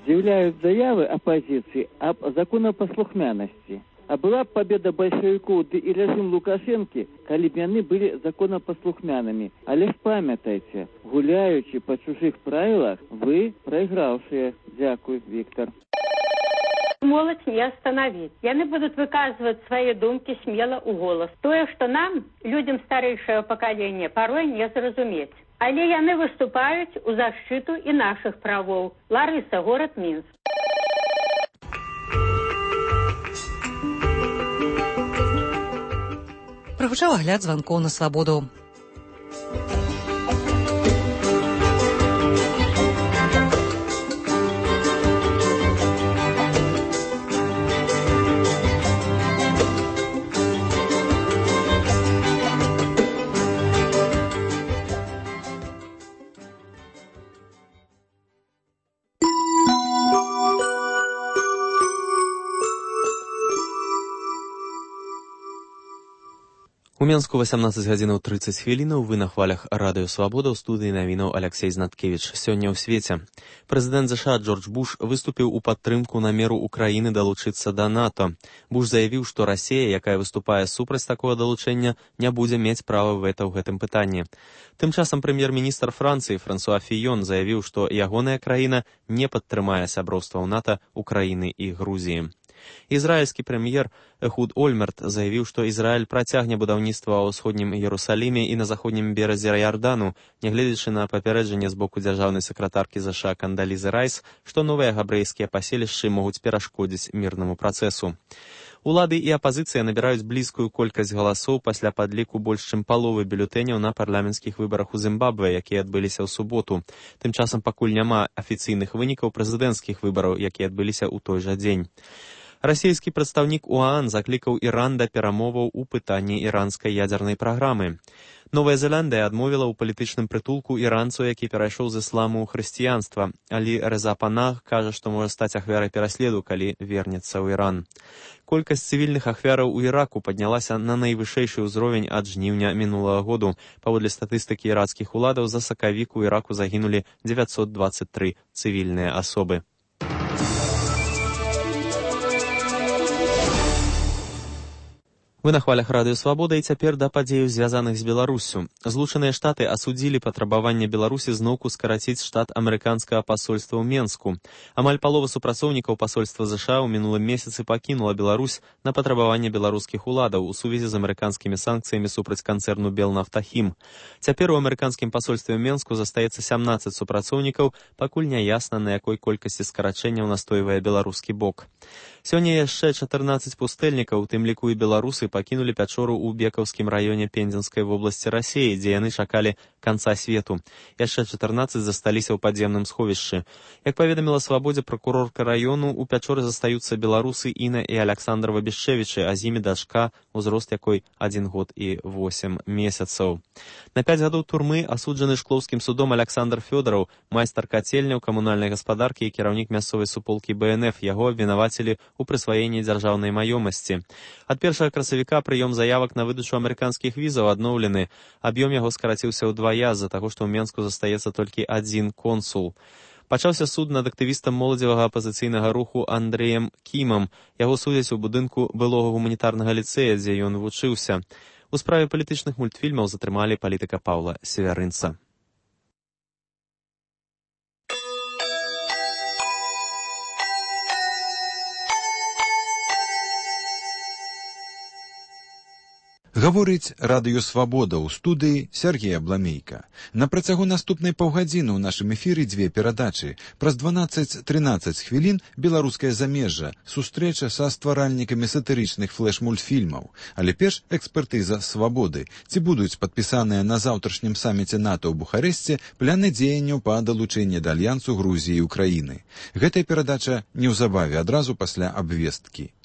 Заявляют заявы оппозиции об законопослухмянности. А была б победа большевиков ды и режим Лукашенко, коли бы они были законопослухмянами. Але ж памятайте, гуляючи по чужих правилах, вы проигравшие. Дякую, Виктор. Молодь не остановить. Яны будут выказывать свои думки смело у голос. Тое, что нам, людям старейшего поколения, порой не зразуметь. Але яны выступают у защиту и наших правов. Ларыса, город Минск. Прагучаў агляд званкоў на свабоду. У Менску васямнаццаць гадзінаў трыццаць хвілінаў, вы на хвалях радыё Свабода, ў студыі навінаў Алексей Знаткевіч. Сёння ў свеце. Прэзідэнт ЗША Джордж Буш выступіў у падтрымку намеру Украіны далучыцца да НАТО. Буш заявіў, што Расія, якая выступае супраць такога далучэння, не будзе мець права вэта ў гэтым пытанні. Тым часам прэм'ер-міністр Францыі Франсуа Фіён заявіў, што ягоная краіна не падтрымае сяброўства ў НАТО Украіны і Грузіі. Ізраільскі прэм'ер Эхуд Ольмерт заявіў, што Ізраіль працягне будаўніцтва ў ўсходнім Іерусаліме і на заходнім беразе Ярдану, нягледзячы на папярэджанне з боку дзяржаўнай сакратаркі ЗША Кандалізы Райс, што новыя габрэйскія паселішчы могуць перашкодзіць мірнаму працэсу. Улады і апазіцыя набіраюць блізкую колькасць галасоў пасля падліку больш чым паловы бюлетэняў на парламенцкіх выбарах у Зімбабве, якія адбыліся ў суботу. Тым часам пакуль няма афіцыйных вынікаў прэзідэнцкіх выбараў, якія адбыліся ў той жа дзень. Расійскі прадстаўнік УАН заклікаў Іран да перамоваў у пытанні іранскай ядзернай праграмы. Новая Зеландыя адмовіла ў палітычным прытулку іранцу, які перайшоў з ісламу ў хрысціянства. Алі Рэза Панах кажа, што можа стаць ахвярай пераследу, калі вернецца ў Іран. Колькасць цывільных ахвяраў у Іраку паднялася на найвышэйшы ўзровень ад жніўня мінулага году. Паводле статыстыкі іракскіх уладаў, за сакавік у Іраку загінулі дзевяцьсот дваццаць тры цывільныя асобы. Вы на хвалях радыё Свабода, і цяпер да падзеяў, звязаных з Беларуссю. Злучаныя Штаты асудзілі патрабаванне Беларусі зноўку скараціць штат амерыканскага пасольства ў Менску. Амаль палова супрацоўнікаў пасольства ЗША ў мінулым месяцы пакінула Беларусь на патрабаванне беларускіх уладаў у сувязі з амерыканскімі санкцыямі супраць канцэрну Белнафтахім. Цяпер у амерыканскім пасольстве ў Менску застаецца сямнаццаць супрацоўнікаў, пакуль не ясна, на якой колькасці скарачэнняў настойвае беларускі бок. Сёння яшчэ чатырнаццаць пустэльнікаў, у тым ліку і беларусы, пакінулі пячору ў Бекаўскім раёне Пензенскай вобласці Расіі, дзе яны чакалі канца свету. Яшчэ чатырнаццаць засталіся ў падземным сховішчы. Як паведаміла Свабодзе пракурорка раёну, у пячоры застаюцца беларусы Іна і Аляксандр Вабішчэвічы, а з імі дачка, узрост якой адзін год і восем месяцаў. На пяць гадоў турмы асуджаны Шклоўскім судом Аляксандр Фёдараў, майстар кацельняў, камунальнай гаспадаркі і кіраўнік мясцовай суполкі Бэ Эн Эф. Яго абвінавацілі у прысваенні дзяржаўнай маёмасці. Ад першага красавіка прыём заявак на выдачу амерыканскіх візаў адноўлены. Аб'ём яго скараціўся ўдвая з-за таго, што ў Менску застаецца толькі адзін консул. Пачаўся суд над актывістам моладзевага апазіцыйнага руху Андрэем Кімам. Яго судзяць у будынку былога гуманітарнага ліцэя, дзе ён вучыўся. У справе палітычных мультфільмаў затрымалі палітыка Паўла Севярынца. Гаворыць радыё Свабода, ў студыі Сергей Абламейка. На працягу наступнай паўгадзіны ў нашым эфіры дзве перадачы. Праз дванаццаць-трынаццаць хвілін беларускае замежжа, сустрэча са стваральнікамі сатырычных флэш-мультфільмаў. Але перш экспертыза Свабоды. Ці будуць падпісаныя на заўтрашнім саміце НАТО ў Бухарэсце пляны дзеянняў па далучэнні да альянсу Грузіі і Украіны. Гэтая перадача неўзабаве, адразу пасля абвесткі.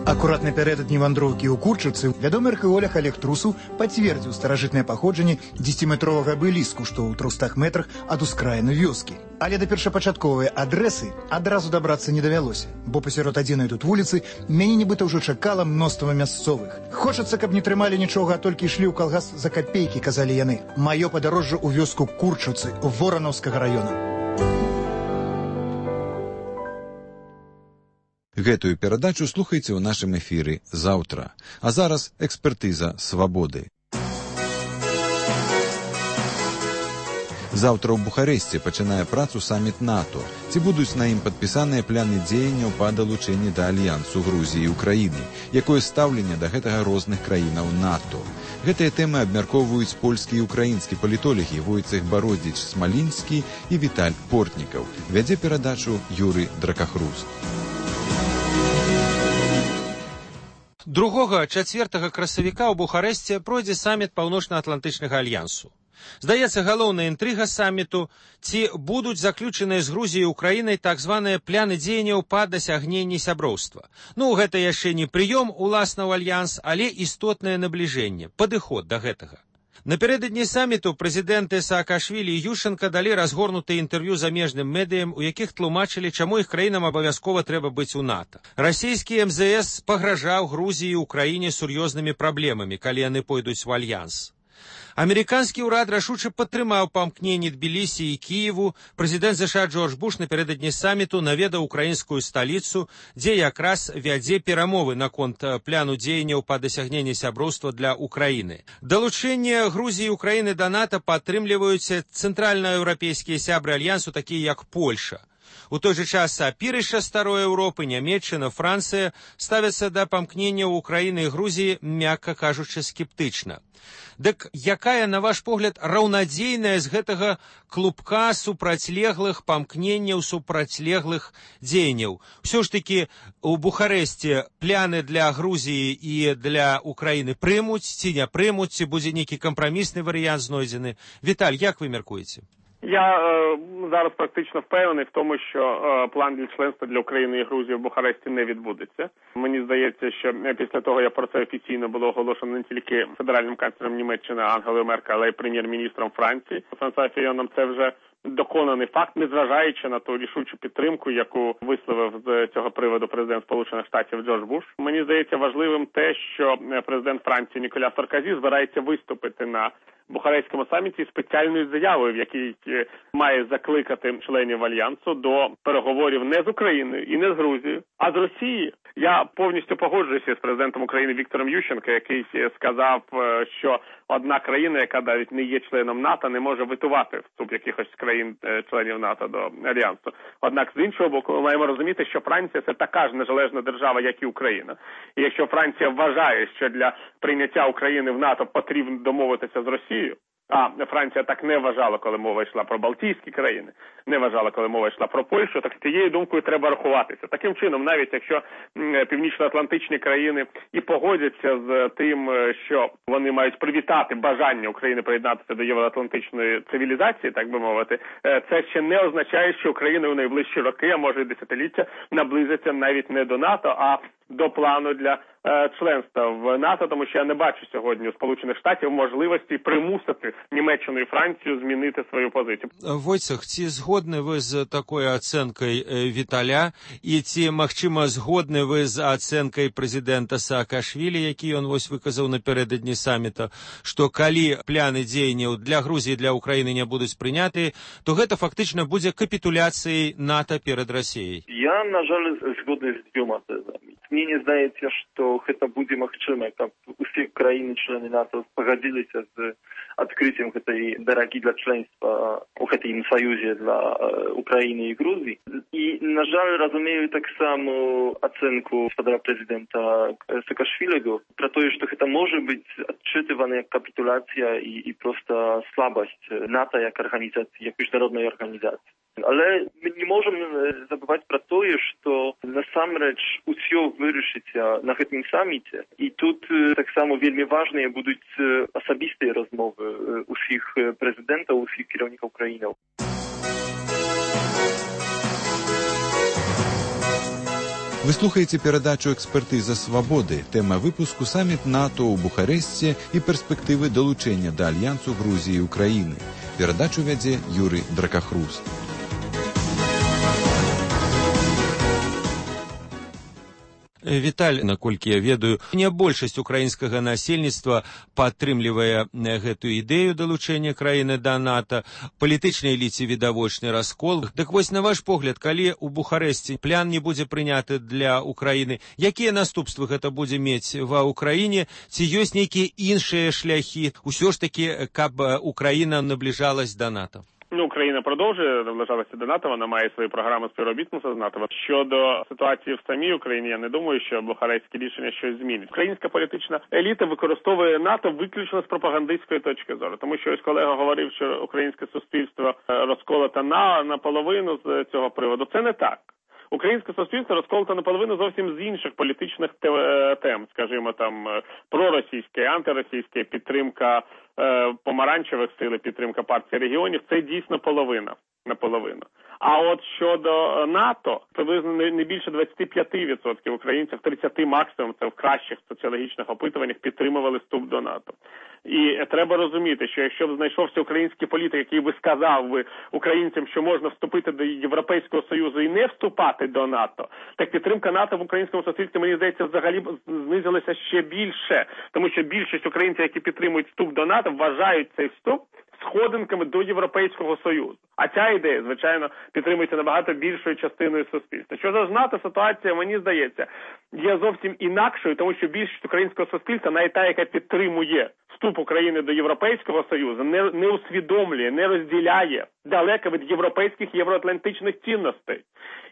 Акурат напярэдадні вандроўкі ў Курчыцы вядомы археолог Олег Трусаў пацвердзіў старажытнае паходжанне дзесяціметровага абеліску, што ў трохстах метрах ад ускраіны вёскі. Але да першапачатковай адрэсы адразу дабрацца не давялося, бо пасярод адзінай тут вуліцы мяне нібыта ўжо чакала мноства мясцовых. Хочацца, каб не трымалі нічога, а толькі ішлі ў калгас за капейкі, казалі яны. Маё падарожжа ў вёску Курчыцы, Воранаўскага раёна. Гэтую перадачу слухайце ў нашым эфіры заўтра. А зараз экспертыза свабоды. Заўтра ў Бухарэсце пачынае працу саміт НАТО. Ці будуць на ім падпісаныя пляны дзеянняў па далучэнні да альянсу Грузіі і Украіны? Якое стаўленне да гэтага розных краінаў НАТО? Гэтыя тэмы абмяркоўваюць польскі і украінскі палітолагі Войцэх Бародзіч-Смалінскі і Віталь Портнікаў. Вядзе перадачу Юрый Дракахруст. другога-чацвёртага красавіка ў Бухарэсце пройдзе саміт Паўночна-Атлантычнага альянсу. Здаецца, галоўная інтрыга саміту, ці будуць заключаныя з Грузіяй і Украінай так званыя пляны дзеянняў па дасягненні сяброўства. Ну, гэта яшчэ не прыём уласна ў альянс, але істотнае набліжэнне, падыход да гэтага. Напярэдадні саміту прэзідэнты Саакашвілі і Ющенка далі разгорнутыя інтэрв'ю замежным медыям, у якіх тлумачылі, чаму іх краінам абавязкова трэба быць у НАТО. Расійскі эм зэ эс пагражаў Грузіі і Украіне сур'ёзнымі праблемамі, калі яны пойдуць у альянс. Амерыканскі ўрад рашуча падтрымаў памкненні Тбілісі і Кіеву. Прэзідэнт ЗША Джордж Буш напярэдадні саміту наведаў украінскую сталіцу, дзе якраз вядзе перамовы наконт пляну дзеянняў па дасягненні сяброўства для Украіны. Далучэнне Грузіі і Украіны да НАТО падтрымліваюць цэнтральнаеўрапейскія сябры альянсу, такія як Польша. У той жа час апірышча старой Еўропы, Нямецчына, Францыя ставяцца да памкненняў Украіны і Грузіі, мякка кажучы, скептычна. Дык якая, на ваш погляд, раўнадзейная з гэтага клубка супрацьлеглых памкненняў, супрацьлеглых дзеянняў? Усё ж такі у Бухарэсце пляны для Грузіі і для Украіны прымуць, ці не прымуць, ці будзе нейкі кампрамісны варыянт знойдзены? Віталь, як вы мяркуеце? Я е, зараз практично впевнений в тому, що е, план для членства для України і Грузії в Бухаресті не відбудеться. Мені здається, що після того, як про це офіційно було оголошено не тільки федеральним канцлером Німеччини Ангелою Меркель, але й прем'єр-міністром Франції Франсуа Фійоном, це вже доконаний факт, незважаючи на ту рішучу підтримку, яку висловив з цього приводу президент Сполучених Штатів Джордж Буш. Мені здається важливим те, що президент Франції Ніколя Саркозі збирається виступити на Бухарестському саміті спеціальною заявою, в якій має закликати членів Альянсу до переговорів не з Україною і не з Грузією, а з Росією. Я повністю погоджуюся з президентом України Віктором Ющенко, який сказав, що одна країна, яка навіть не є членом НАТО, не може витувати вступ якихось країн-членів НАТО до Альянсу. Однак, з іншого боку, ми маємо розуміти, що Франція – це така ж незалежна держава, як і Україна. І якщо Франція вважає, що для прийняття України в НАТО потрібно домовитися з Росією, а Франція так не вважала, коли мова йшла про Балтійські країни, не вважала, коли мова йшла про Польщу, так з цією думкою треба рахуватися. Таким чином, навіть якщо північноатлантичні країни і погодяться з тим, що вони мають привітати бажання України приєднатися до євроатлантичної цивілізації, так би мовити, це ще не означає, що Україна у найближчі роки, а може і десятиліття, наблизиться навіть не до НАТО, а до плану для е, членства в НАТО, тому що я не бачу сьогодні у Сполучених Штатів можливості примусити Німеччину і Францію змінити свою позицію. Войцех, ці згодні ви з такою оцінкою Віталя, і ці, махчима, згодні ви з оцінкою президента Саакашвілі, який він ось виказав напередодні саміта, що коли пляни дзеянняў для Грузії і для України не будуть прийняті, то гэта фактично буде капітуляцією НАТО перед Росією? Я, на жаль, згодний з двома тезами. Мне здаецца, што гэта будзе магчыма, каб усе краіны-члены НАТО пагадзіліся з адкрыццем гэтай дарагі для членства у гэтым саюзе для Украіны і Грузіі. І, на жаль, разумею таксама ацэнку гаспадара прэзідэнта Саакашвіліга пра тое, што гэта можа быць адчытывана як капітуляцыя і, і проста слабасць НАТО як арганізацыі, як міжнароднай арганізацыі. Але мы не можам забываць пра тое, што насамрэч усё вырашыцца на гэтым саміце. І тут таксама вельмі важныя будуць асабістыя размовы усіх прэзідэнтаў, усіх кіраўнікаў краінаў. Вы слухаеце перадачу «Экспертыза свабоды». Тэма выпуску «Саміт НАТО ў Бухарэсце і перспектывы далучэння да Альянсу Грузіі і Украіны». Перадачу вядзе Юрый Дракахруст. Віталь, наколькі я ведаю, не большасць украінскага насельніцтва падтрымлівае гэтую ідэю далучэння краіны да НАТО. Палітычнай эліце відавочны раскол. Дык вось, на ваш погляд, калі ў Бухарэсце план не будзе прыняты для Украіны, якія наступствы гэта будзе мець ва Украіне? Ці ёсць нейкія іншыя шляхі, усё ж такі, каб Україна наближалась до НАТО? Ну, Україна продовжує наближатися до НАТО, вона має свої програми співробітництва з НАТО. Щодо ситуації в самій Україні, я не думаю, що бухарестські рішення щось змінять. Українська політична еліта використовує НАТО виключно з пропагандистської точки зору. Тому що ось колега говорив, що українське суспільство розколоте на наполовину з цього приводу. Це не так. Українське суспільство розколото наполовину зовсім з інших політичних тем, скажімо, там, проросійське, антиросійське, підтримка е, помаранчевих сил, підтримка партії регіонів, це дійсно половина, наполовину. А от щодо НАТО, приблизно не більше двадцять п'ять відсотків українців, тридцять відсотків максимум, це в кращих соціологічних опитуваннях, підтримували вступ до НАТО. І треба розуміти, що якщо б знайшовся український політик, який би сказав би українцям, що можна вступити до Європейського Союзу і не вступати до НАТО, так підтримка НАТО в українському суспільстві, мені здається, взагалі знизилася ще більше. Тому що більшість українців, які підтримують вступ до НАТО, вважають цей вступ сходинками до Європейського Союзу. А ця ідея, звичайно, підтримується набагато більшою частиною суспільства. Що ж з НАТО, ситуація, мені здається, є зовсім інакшою, тому що більшість українського суспільства, навіть та, яка підтримує вступ України до Європейського Союзу, не, не усвідомлює, не розділяє далеко від європейських євроатлантичних цінностей.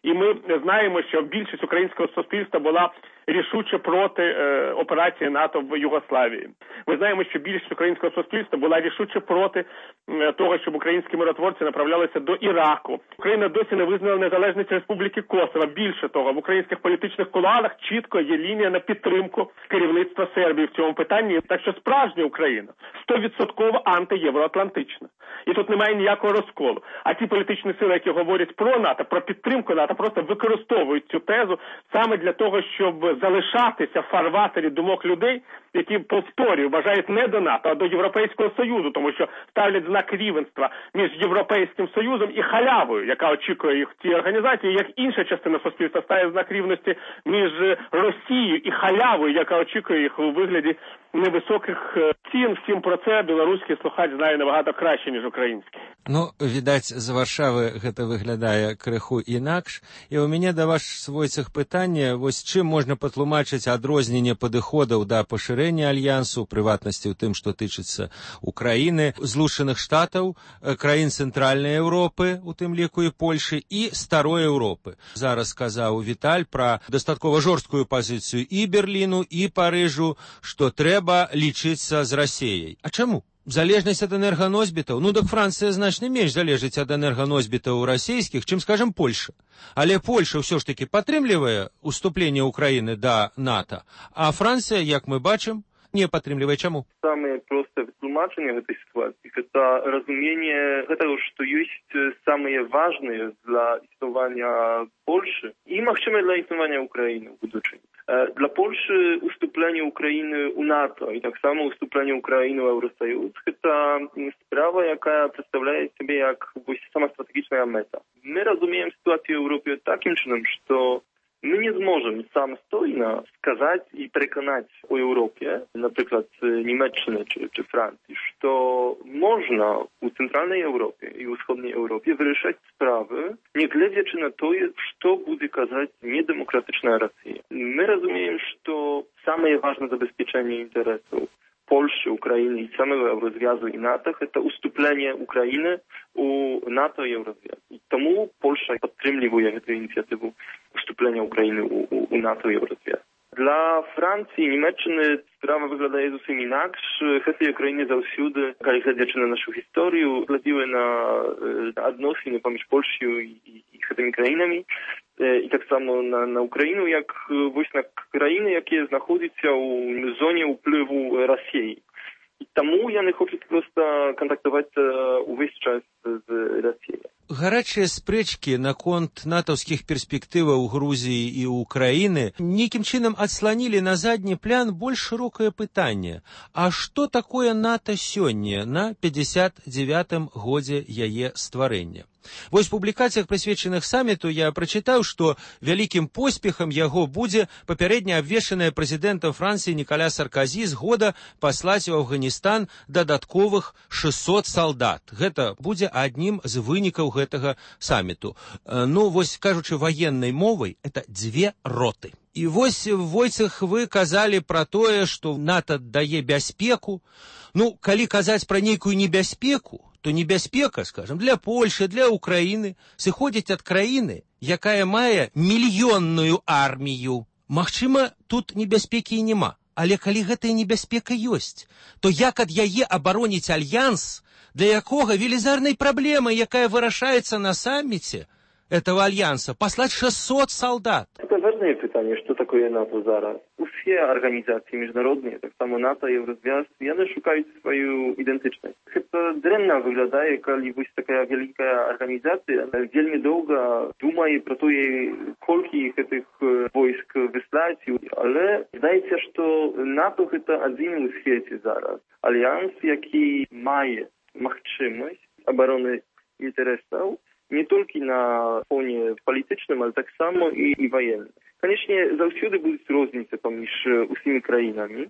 І ми знаємо, що більшість українського суспільства була рішуче проти е, операції НАТО в Югославії. Ми знаємо, що більшість українського суспільства була рішуче проти е, того, щоб українські миротворці направлялися до Іраку. Україна досі не визнала незалежність Республіки Косово. Більше того, в українських політичних кулуарах чітко є лінія на підтримку керівництва Сербії в цьому питанні. Так що справжня Україна сто відсотків антиєвроатлантична. І тут немає ніякого розколу. А ті політичні сили, які говорять про НАТО, про підтримку НАТО, просто використовують цю тезу саме для того, щоб залишатися в фарватері думок людей, які, повторюю, вважають не до НАТО, а до Європейського Союзу, тому що ставлять знак рівенства між Європейським Союзом і халявою, яка очікує їх в цій організації, як інша частина суспільства ставить знак рівності між Росією і халявою, яка очікує їх у вигляді невисоких цін. Всім про це білоруський слухач знає набагато краще, ніж український. Ну, відаць, з Варшави гэта выглядае крыху інакш. І у мяне да ваш свойцах пытанне, вось чым можна патлумачыць адрозненне падыходаў да пашырэння альянсу, у прыватнасці ў тым, што тычыцца Украіны, Злучаных Штатаў, краін Цэнтральнай Еўропы, у тым ліку і Польшы, і Старой Еўропы. Зараз сказаў Віталь пра дастаткова жорсткую пазіцыю і Берліну, і Парыжу, што трэба лічыцца з Расіяй. А чаму? Залежнасць ад энерганосьбітаў? Ну, так Францыя значна менш залежыць ад энерганосьбітаў расійскіх, чым, скажем, Польша. Але Польша ўсё ж такі падтрымлівае ўступленне Украіны да НАТО, а Францыя, як мы бачым, не падтрымлівае. Чаму? Самае простае вытлумачэнне гэтай сітуацыі – гэта разуменне гэтага, што ёсць самыя важныя для існавання Польшы і, магчыма, для існавання Украіны ў будучыні. Dla Polski ustąpienie Ukrainy u NATO i tak samo ustąpienie Ukrainy u Eurosojus to sprawa, jaka przedstawia sobie jak sama strategiczna meta. My rozumiemy sytuację w Europie takim czynem, że my nie zможemy samostojnie wskazać i przekonać o Europie, na przykład Niemczech czy, czy Francji, że można u centralnej Europie i u wschodniej Europie wyryszać sprawy, nie глядячи на to, что будет казать недемократичная Россия. Мы разумеем, что самое важное забезпечение интересов Польши, Украины и самого Еврозвязу и НАТО – это уступление Украины у НАТО и Еврозвязу. И тому Польша подтримливает эту инициативу уступления Украины у, у, у НАТО и Еврозвязу. Dla Francji i Niemczech sprawa wygląda zupełnie inaczej. Kwestie Ukrainy zawsze, kiedy chodzi na naszą historię, gledziły na odnosiny pomiędzy Polską i, i, i tymi krajami. I tak samo na, na Ukrainę, jak właśnie na krainy, jakie znajdują się w zonie wpływu Rosji. I тому я не хочу просто контактовать увесь час з Росією. Гарячыя спрэчкі наконт натаўскіх перспектываў Грузіі і Украіны нейкім чынам адсланілі на задні план больш шырокае пытанне. А што такое НАТО сёння на пятьдесят девятым годзе яе стварэння? Вось в публікацыях, прысвечаных саміту, я прачытаў, што вялікім поспехам яго будзе папярэдня абвешчаная прэзідэнтам Францыі Нікаля Сарказі згода паслаць у Афганістан дадатковых шэсцьсот салдат. Гэта будзе аднім з вынікаў гэтага саміту. Ну, вось, кажучы ваеннай мовай, это дзве роты. І вось, Войцах, вы казалі пра тое, што НАТО дае бяспеку. Ну, калі казаць пра нейкую небяспеку, то небяспека, скажем, для Польши, для Украины сыходзіць ад краіны, якая мае мільённую армію. Магчыма, тут небяспекі і няма. Але калі гэтая небяспека ёсць, то як ад яе абароніць альянс, для якога велізарнай праблемай, якая вырашаецца на самміце этого альянса, послать шестьсот солдат? Это важное питание, что такое НАТО зараз. Все организации международные, так само НАТО, Еврозв'яз, яны шукают свою идентичность. Это дрэнна выглядае, калі вось такая великая организация вельмі долго думает про то, колькі гэтых войск выслаць, але здаецца, что НАТО это один у свете зараз. Альянс, які мае магчымасць обороны интересов не толькі на фоне палітычным, але так само і, і военным. Конечно, заўсёды будуць розніцы паміж усімі краінамі,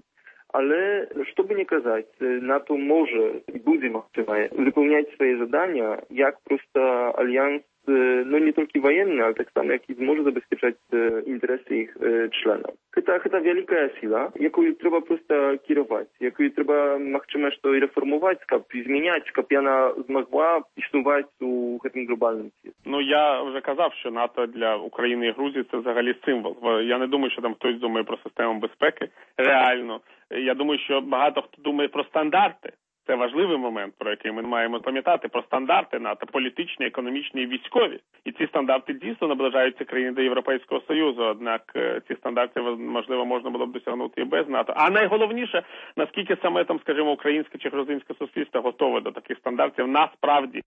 але, што бы не казаць, НАТО можа і будзе магчыма выполняць свае задания, як просто альянс, ну не толькі военны, але так само, які зможа забезпечаць інтарэсы іх членаў. Гэта, гэта вялікая сила, якую трэба просто кіраваць, якую трэба, магчыма, што і рэформуваць, каб змяняць, каб яна змагла існуваць у гэтым глобальным свеце. Ну, я вже казав, що НАТО для України і Грузії – це взагалі символ. Я не думаю, що там хтось думає про систему безпеки. Реально. Я думаю, що багато хто думає про стандарти. Це важливий момент, про який ми маємо пам'ятати, про стандарти НАТО, політичні, економічні і військові. І ці стандарти дійсно наближаються країни до Європейського Союзу, однак ці стандарти, можливо, можна було б досягнути і без НАТО. А найголовніше, наскільки саме, там, скажімо, українське чи грузинське суспільство готове до таких стандартів насправді.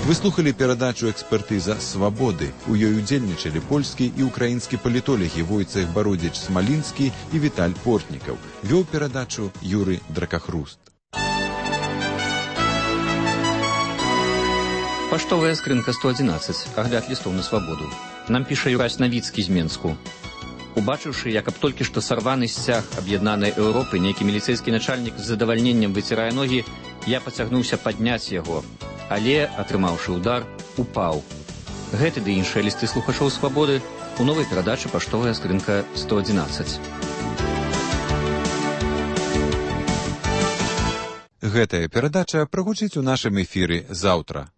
Вы слухали перадачу «Экспертыза свабоды». У ёй удзельнічалі польскі і ўкраінскі палітолягі Войцех Бародзіч-Смалінскі і Віталь Портнікаў. Вёў перадачу Юры Дракахруст. Паштовая скрынка сто адзінаццаць. Агляд лістоў на свабоду. Нам піша Юрась Навіцкі з Менску. Убачыўшы, як аб толькі што сарваны сцяг аб'яднанай Еўропы, нейкі міліцэйскі начальнік з задавальненнем выцірае ногі, я пацягнуўся падняць яго, але, атрымаўшы удар, упаў. Гэты ды іншыя лісты слухачоў свабоды у новай перадачы «Паштовая скрынка сто адзінаццаць». Гэтая перадача прагучыць у нашым эфіры заўтра.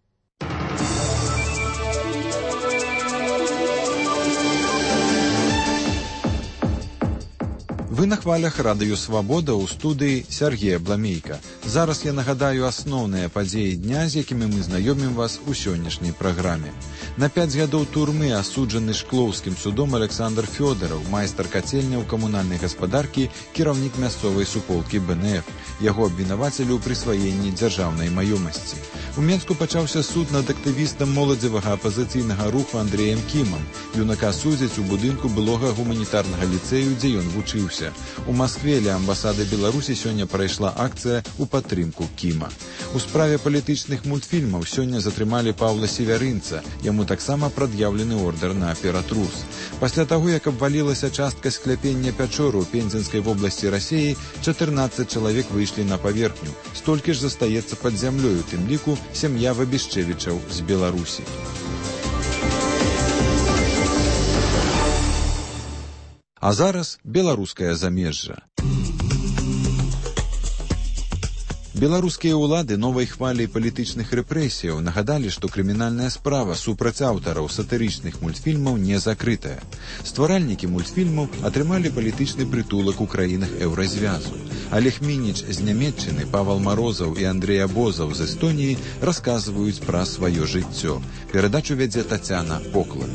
Вы на хвалях радыё «Свабода» ў студыі Сергея Бламейка. Зараз я нагадаю асноўныя падзеі дня, з якімі мы знаёмім вас у сённяшняй праграме. На пяць гадоў турмы асуджаны шклоўскім судом Александр Фёдараў, майстар кацельняў камунальнай гаспадаркі, кіраўнік мясцовай суполкі бэ эн эф. Яго абвінавацілі ў прысваенні дзяржаўнай маёмасці. У Менску пачаўся суд над актывістам моладзевага апазіцыйнага руху Андрэем Кімам. Юнака судзяць у будынку былога гуманітарнага ліцэю, дзе ён вучыўся. У Маскве ля амбасады Беларусі сёння прайшла акцыя ў падтрымку Кіма. У справе палітычных мультфільмаў сёння затрымалі Паўла Севярынца. Яму таксама прад'яўлены ордэр на ператрус. Пасля таго, як абвалілася частка скляпення пячоры ў Пензенскай вобласці Расіі, чатырнаццаць чалавек выйшлі на паверхню. Столькі ж застаецца пад зямлёю, тым ліку сям'я Вабішчэвічаў з Беларусі. А зараз беларускае замежжа. Беларускія ўлады новай хваляй палітычных рэпрэсіяў нагадалі, што крымінальная справа супраць аўтараў сатырычных мультфільмаў не закрытая. Стваральнікі мультфільмаў атрымалі палітычны прытулак у краінах Еўразвязу. Олег Мініч з Нямецчыны, Павал Марозаў і Андрэй Абозаў з Эстоніі расказваюць пра сваё жыццё. Перадачу вядзе Тацяна Поклад.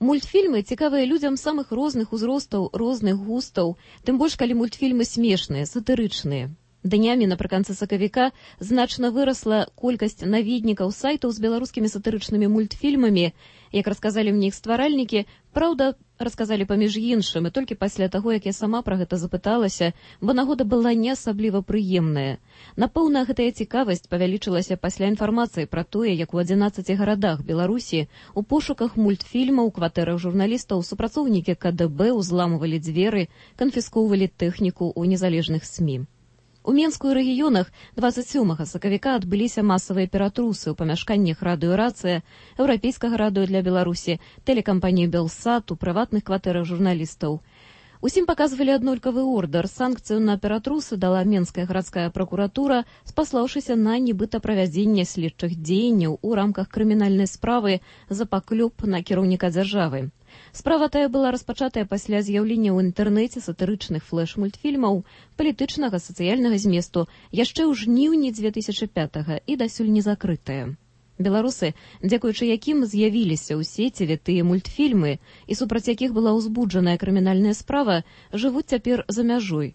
Мультфільмы цікавыя людзям самых розных узростаў, розных густаў, тым больш, калі мультфільмы смешныя, сатырычныя. Днямі напрыканцы сакавіка значна вырасла колькасць наведнікаў сайтаў з беларускімі сатырычнымі мультфільмамі. Як расказалі мне іх стваральнікі, праўда, расказалі паміж іншым, і толькі пасля таго, як я сама пра гэта запыталася, бо нагода была не асабліва прыемная. Напэўна, гэтая цікавасць павялічылася пасля інфармацыі пра тое, як у адзінаццаці гарадах Беларусі у пошуках мультфільмаў у кватэрах журналістаў супрацоўнікі ка дэ бэ ўзламывалі дзверы, канфіскоўвалі тэхніку ў незалежных СМІ. У Менску і рэгіёнах дваццаць сёмага сакавіка адбыліся масавыя ператрусы ў памяшканнях радыё-рацыя, еўрапейскага радыё для Беларусі, тэлекампаніі «Белсат», у прыватных кватэрах журналістаў. Усім паказвалі аднолькавы ордар. Санкцыю на ператрусы дала Менская гарадская пракуратура, спаслаўшыся на нібыта правядзенне следчых дзеянняў у рамках крымінальнай справы за паклёп на кіраўніка дзяржавы. Справа тая была распачатая пасля з'яўлення ў інтэрнэце сатырычных флэш-мультфільмаў палітычнага сацыяльнага зместу яшчэ ў жніўні дзве тысячы пятага і дасюль не закрытая. Беларусы, дзякуючы якім з'явіліся ў сеціве тыя мультфільмы і супраць якіх была ўзбуджаная крымінальная справа, жывуць цяпер за мяжой.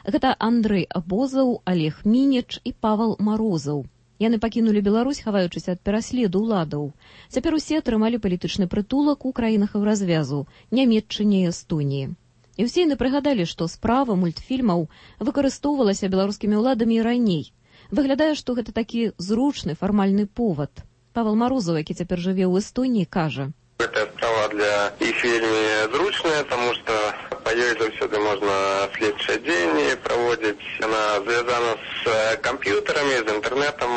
Гэта Андрэй Абозаў, Олег Мініч і Павал Марозаў. Яны пакінулі Беларусь, хаваючыся ад пераследу ўладаў. Цяпер усе атрымалі палітычны прытулак у краінах Еўразвязу, Нямецчыне і Эстоніі. І ўсе яны прыгадалі, што справа мультфільмаў выкарыстоўвалася беларускімі ўладамі і раней. Выглядае, што гэта такі зручны фармальны повод. Павел Марозаў, які цяпер жыве ў Эстоніі, кажа: Гэтая справа для іх вельмі зручная, таму што па ёй заўсёды можна следчыя дзеянні праводзіць. Яна звязана з камп'ютарамі, з інтэрнэтам.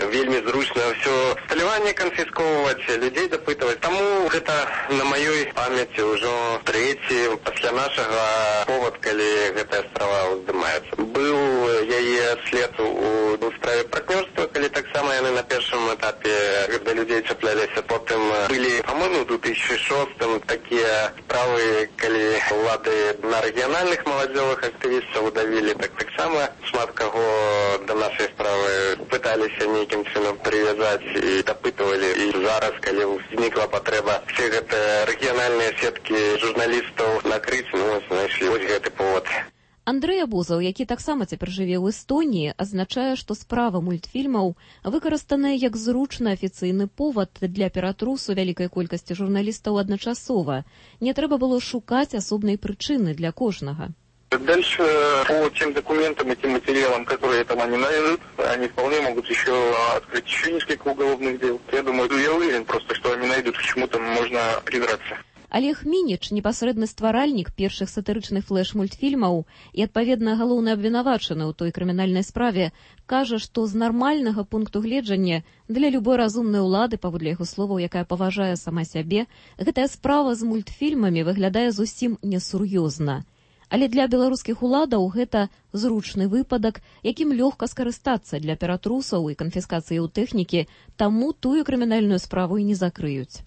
Вельмі зручна ўсё сталяванне канфіскоўваць, людзей дапытваць. Таму гэта на маёй памяці ўжо трэці пасля нашага повод, калі гэтая справа ўздымаецца. Быў яе след у справе партнёрства, калі таксама яны на першым этапе да людзей чапляліся. Потым былі, па-моему, у две тысячи шостым такія справы, калі ўлады на рэгіянальных маладзёвых актывістаў удавілі, так таксама шмат каго да нашай справы пыталіся нейкім чынам прывязаць і дапытвалі. І зараз, калі узнікла патрэба все гэтыя рэгіянальныя сеткі журналістаў накрыць, ну, знайшлі вось гэты повод. Андрэй Абозаў, які таксама цяпер жыве ў Эстоніі, азначае, што справа мультфільмаў выкарыстаная як зручны афіцыйны повад для ператрусу вялікай колькасці журналістаў адначасова. Не трэба было шукаць асобнай прычыны для кожнага. Дальше по тем документам и тем материалам, которые там они найдут, они вполне могут еще открыть еще несколько уголовных дел. Я думаю, я уверен просто, что они найдут, к чему там можно придраться. Олег Мініч, непасрэдны стваральнік першых сатырычных флэш-мультфільмаў і, адпаведна, галоўны абвінавачаны ў той крымінальнай справе, кажа, што з нармальнага пункту гледжання для любой разумнай улады, паводле яго словаў, якая паважае сама сябе, гэтая справа з мультфільмамі выглядае зусім несур'ёзна. Але для беларускіх уладаў гэта зручны выпадак, якім лёгка скарыстацца для ператрусаў і канфіскацыі ў тэхнікі, таму тую крымінальную справу і не закрыюць.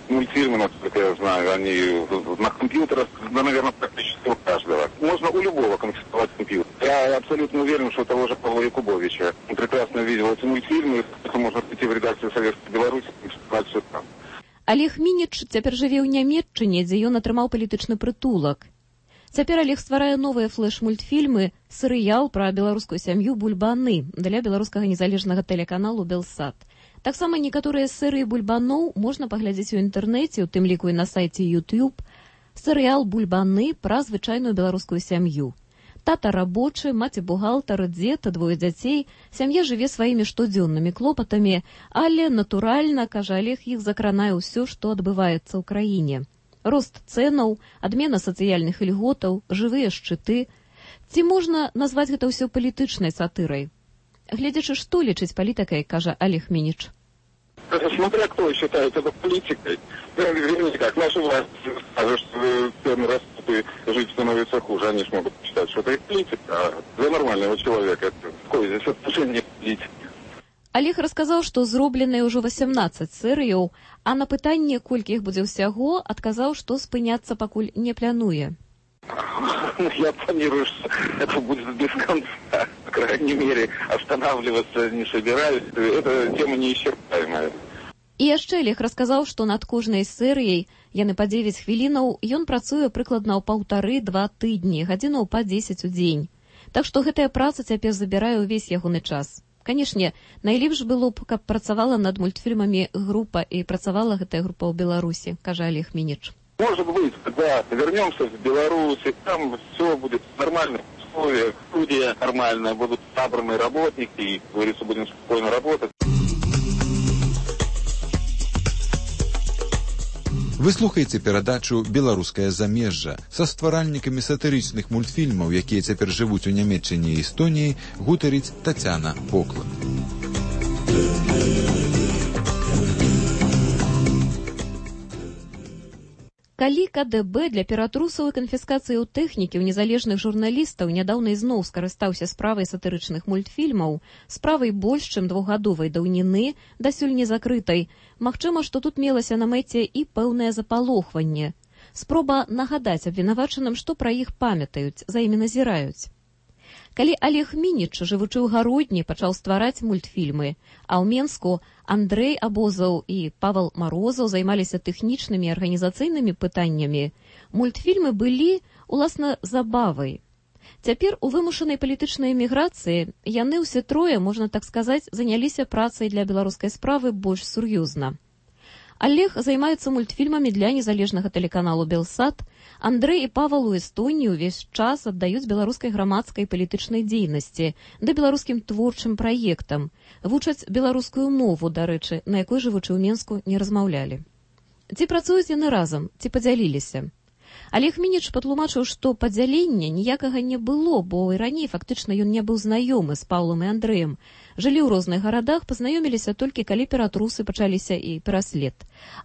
Мультфильмы, насколько я знаю, они на компьютерах, да, наверное, практически у каждого. Можно у любого конфисковать компьютер. Я абсолютно уверен, что того же Павла Якубовича. Он прекрасно видел эти мультфильмы, можно прийти в редакцию Советской Беларуси и конфисковать все там. Олег Мініч цяпер жыве ў Нямецчыне, дзе ён атрымаў палітычны прытулак. Цяпер Олег стварае новыя флэш-мультфільмы, серыял пра беларускую сям'ю «Бульбаны» для беларускага незалежнага тэлеканалу «Белсат». Таксама некаторыя серыі бульбаноў можна паглядзець у інтэрнэце, у тым ліку і на сайце YouTube. Серыял «Бульбаны» пра звычайную беларускую сям'ю. Тата рабочы, маці бухгалтар, дзед, двое дзяцей. Сям'я жыве сваімі штодзённымі клопатамі, але, натуральна, кажа Олег, іх закранае ўсё, што адбываецца ў краіне. Рост цэнаў, адмена сацыяльных ільготаў, жывыя шчыты. Ці можна назваць гэта ўсё палітычнай сатырай? Глядзячы, што лічыць палітыкай, кажа Олег Мініч. Смотря кто считает это политикой. Вернее, как наша власть скажет, что цены растут и жить становится хуже. Они же могут считать, что это и политика. А для нормального человека это какое здесь отношение к политике? Олег расказаў, што зробленыя ўжо васемнаццаць серыяў, а на пытанне, колькі іх будзе ўсяго, адказаў, што спыняцца пакуль не плануе. Я планирую, что это будет без конца. По крайней мере, останавливаться не собираюсь. Это тема неисчерпаемая. І яшчэ Олег расказаў, што над кожнай серыяй, яны па дзевяць хвілінаў, ён працуе прыкладна ў паўтары-два тыдні, гадзінаў па дзесяць у дзень. Так што гэтая праца цяпер забірае ўвесь ягоны час. Канешне, найлепш было б, каб працавала над мультфільмамі група, і працавала гэтая група ў Беларусі, кажа Олег Мініч. Может быть, когда вернемся в Беларусь, там все будет нормально. Условия, студия нормальная, будут набраны работники, и, говорится, будем спокойно работать. Вы слухаеце перадачу «Беларускае замежжа» са стваральнікамі сатырычных мультфільмаў, якія цяпер жывуць у Нямецчыне і Эстоніі, гутарыць Тацяна Поклад. Калі КДБ для ператрусаў і канфіскацыяў тэхнікі ў незалежных журналістаў нядаўна ізноў скарыстаўся справай сатырычных мультфільмаў, справай больш чым двухгадовай даўніны, дасюль не закрытай, магчыма, што тут мелася на мэце і пэўнае запалохванне. Спроба нагадаць абвінавачаным, што пра іх памятаюць, за імі назіраюць. Калі Олег Мініч, жывучы ў Гародні, пачаў ствараць мультфільмы, а ў Менску Андрэй Абозаў і Павал Марозаў займаліся тэхнічнымі і арганізацыйнымі пытаннямі, мультфільмы былі, уласна, забавай. Цяпер у вымушанай палітычнай эміграцыі яны ўсе трое, можна так сказаць, заняліся працай для беларускай справы больш сур'ёзна. Олег займаецца мультфільмамі для незалежнага тэлеканалу «Белсат», Андрэй і Павал у Эстонії ўвесь час аддаюць беларускай грамадскай палітычнай дзейнасці, да беларускім творчым праектам, вучаць беларускую мову, дарэчы, на якой жывучы ў Менску не размаўлялі. Ці працуюць яны разам, ці падзяліліся? Олег Мініч патлумачыў, што падзялення ніякага не было, бо і раней фактычна ён не быў знаёмы з Паўлам і Андрэем. Жылі ў розных гарадах, пазнаёміліся толькі калі ператрусы пачаліся і пераслед.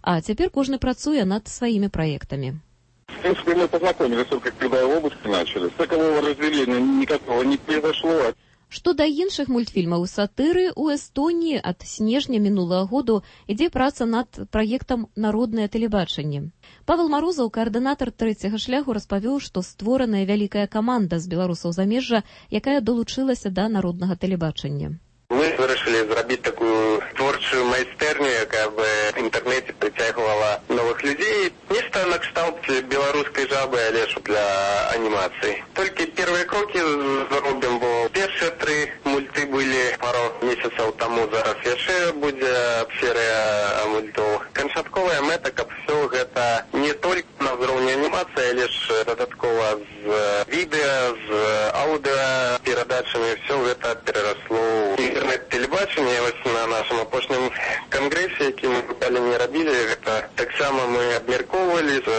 А цяпер кожны працуе над сваімі праектамі. В принципе, мы познакомились только когда обыски начали. Такового разделения никакого не произошло. Што да іншых мультфільмаў сатыры, у Эстоніі ад снежня мінулага году ідзе праца над праектам «Народнае тэлебачанне». Павел Марозаў, каардынатар трэцяга шляху, распавёў, што створаная вялікая каманда з беларусаў замежжа, якая долучылася да народнага тэлебачання. Мы вырашылі зрабіць такую творчую майстэрню, якая бы в інтэрнэце прыцягвала новых людзей. Нешта на кшталт беларускай жабы, але ж для анімацыі. Толькі первыя крокі зробім, бо першыя тры мульты былі пару месяцаў таму, зараз яшчэ будзе серыя мультоў. Канчатковая мэта, каб все гэта не толькі на ўзроўні анімацыі, але ж дадаткова з відэа, з аўдыа перадачамі, все гэта перарасло ў интернет-телебачение. На нашем апошнім конгрессе, які мы далі не рабілі, гэта таксама мы абмяркоўвалі з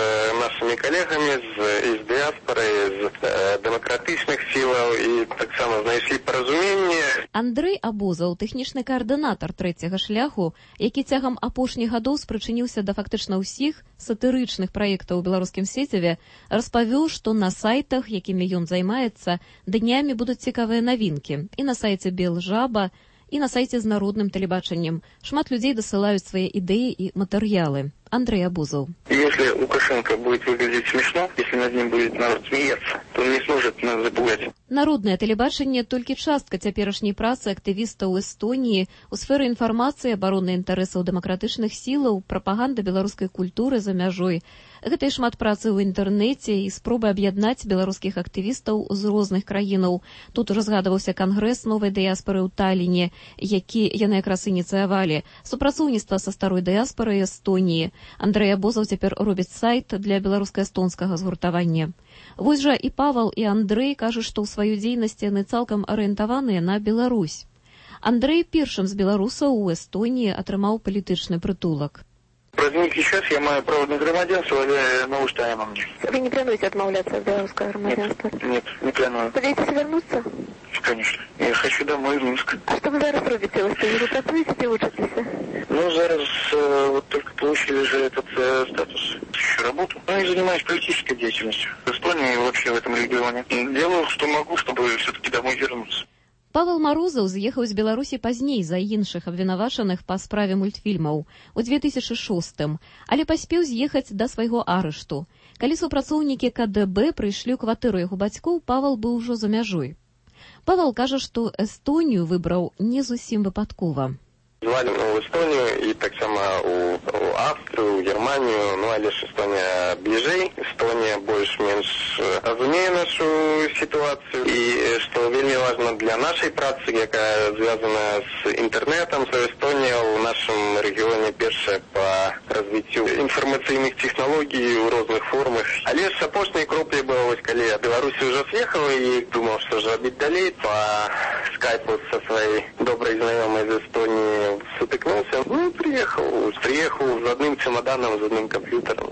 нашими коллегами з, з дыаспоры, з э, дэмакратычных сілаў, і таксама знайшлі паразуменне. Андрэй Абозаў, тэхнічны каардынатар трэцяга шляху, які цягам апошніх гадоў спрычыніўся да фактычна ўсіх сатырычных праектаў у беларускім сеціве, распавёў, што на сайтах, якімі ён займаецца, днямі будуць цікавыя навінкі. І на сайце «Белжаба», і на сайце з народным тэлебачаннем. Шмат людзей дасылаюць свае ідэі і матэрыялы. Андрэй Абозаў. Если Лукашенко будет выглядеть смешно, если над ним будет народ смеяться, то он не сможет нас запугать. Народнае тэлебачанне толькі частка цяперашняй працы актывістаў Эстоніі у сферы інфармацыі, абароны інтарэсаў дэмакратычных сілаў, прапаганда беларускай культуры за мяжой. Гэта і шмат працы ў інтэрнэце і спробы аб'яднаць беларускіх актывістаў з розных краінаў. Тут разгадываўся кангрэс новай дыяспоры ў Таліне, які яны якраз ініцыявалі, супрацоўніцтва са старой дыяспорай Эстоніі. Андрэй Абозаў цяпер робіць сайт для беларуска-эстонскага згуртавання. Вось жа і Павал, і Андрэй кажуць, што ў сваёй дзейнасці яны цалкам арыентаваныя на Беларусь. Андрэй першым з беларусаў у Эстонії атрымаў палітычны прытулак. Праз нейкі час я маю право на грамадзянства, але навушта на мне. Вы не плануете отмовляться от белорусского громадянства? Нет, нет, не планую. Собираетесь вернуться? Конечно. Я хочу домой в Минск. А что вы зараз робите? Вы что, працуете или учитесь? Ну, зараз э, вот только получили же этот э, статус. Ищу работу. Ну, и занимаюсь политической деятельностью. В Эстонии и вообще в этом регионе. Делаю, что могу, чтобы все-таки домой вернуться. Павел Марозаў з'ехаў з Беларусі пазней за іншых абвінавачаных па справе мультфільмаў у две тысячы шостым, але паспеў з'ехаць да свайго арышту. Калі супрацоўнікі КДБ прыйшлі ў кватэру яго бацькоў, Павел быў ужо за мяжой. Павел кажа, што Эстонію выбраў не зусім выпадкова. звалі ў Эстонію і таксама ў, ў Австрыю, ў Германію, ну але ж Эстонія бліжэй, Эстонія больш-менш разумее нашу сітуацыю і што вельмі важна для нашай працы, якая звязана з інтэрнетам, то Эстонія ў нашым рэгіёне першая па развіццю інфармацыйных тэхналогій у розных формах. Але ж апошняй кроплей было, вось калі я Беларусі ўжо з'ехала і думаў, што ж рабіць далей, па скайпу са сваёй добрай знаёмай з Эстоніі сутыкнуўся. Ну, приехал, приехал з адным чемоданом, з адным камп'ютарам.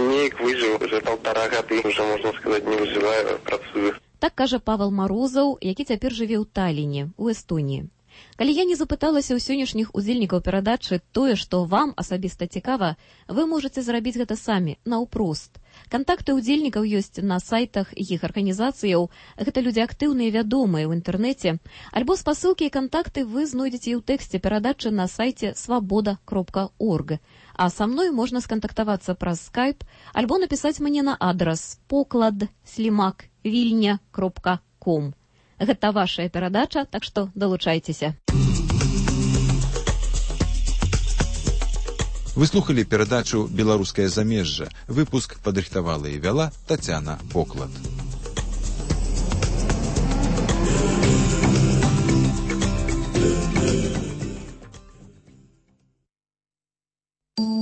Неяк выжыў, уже полтора гады, уже, можна сказаць, не выжываю, працую. Так кажа Павел Марозаў, які цяпер жыве ў Талліне, у Эстонії. Калі я не запыталася ў сённяшніх удзельнікаў перадачы тое, што вам асабіста цікава, вы можаце зрабіць гэта самі, наўпрост. Кантакты ўдзельнікаў ёсць на сайтах іх арганізацыяў, гэта людзі актыўныя, вядомыя ў інтэрнэце, альбо спасылкі і кантакты вы знойдзеце і ў тэксце перадачы на сайце свабода кропка орг. А са мной можна скантактавацца праз скайп, альбо напісаць мне на адрас поклад слімак вільня кропка ком. Гэта вашая перадача, так што далучайцеся. Вы слухалі перадачу «Беларускае замежжа». Выпуск падрыхтавала і вяла Тацяна Поклад.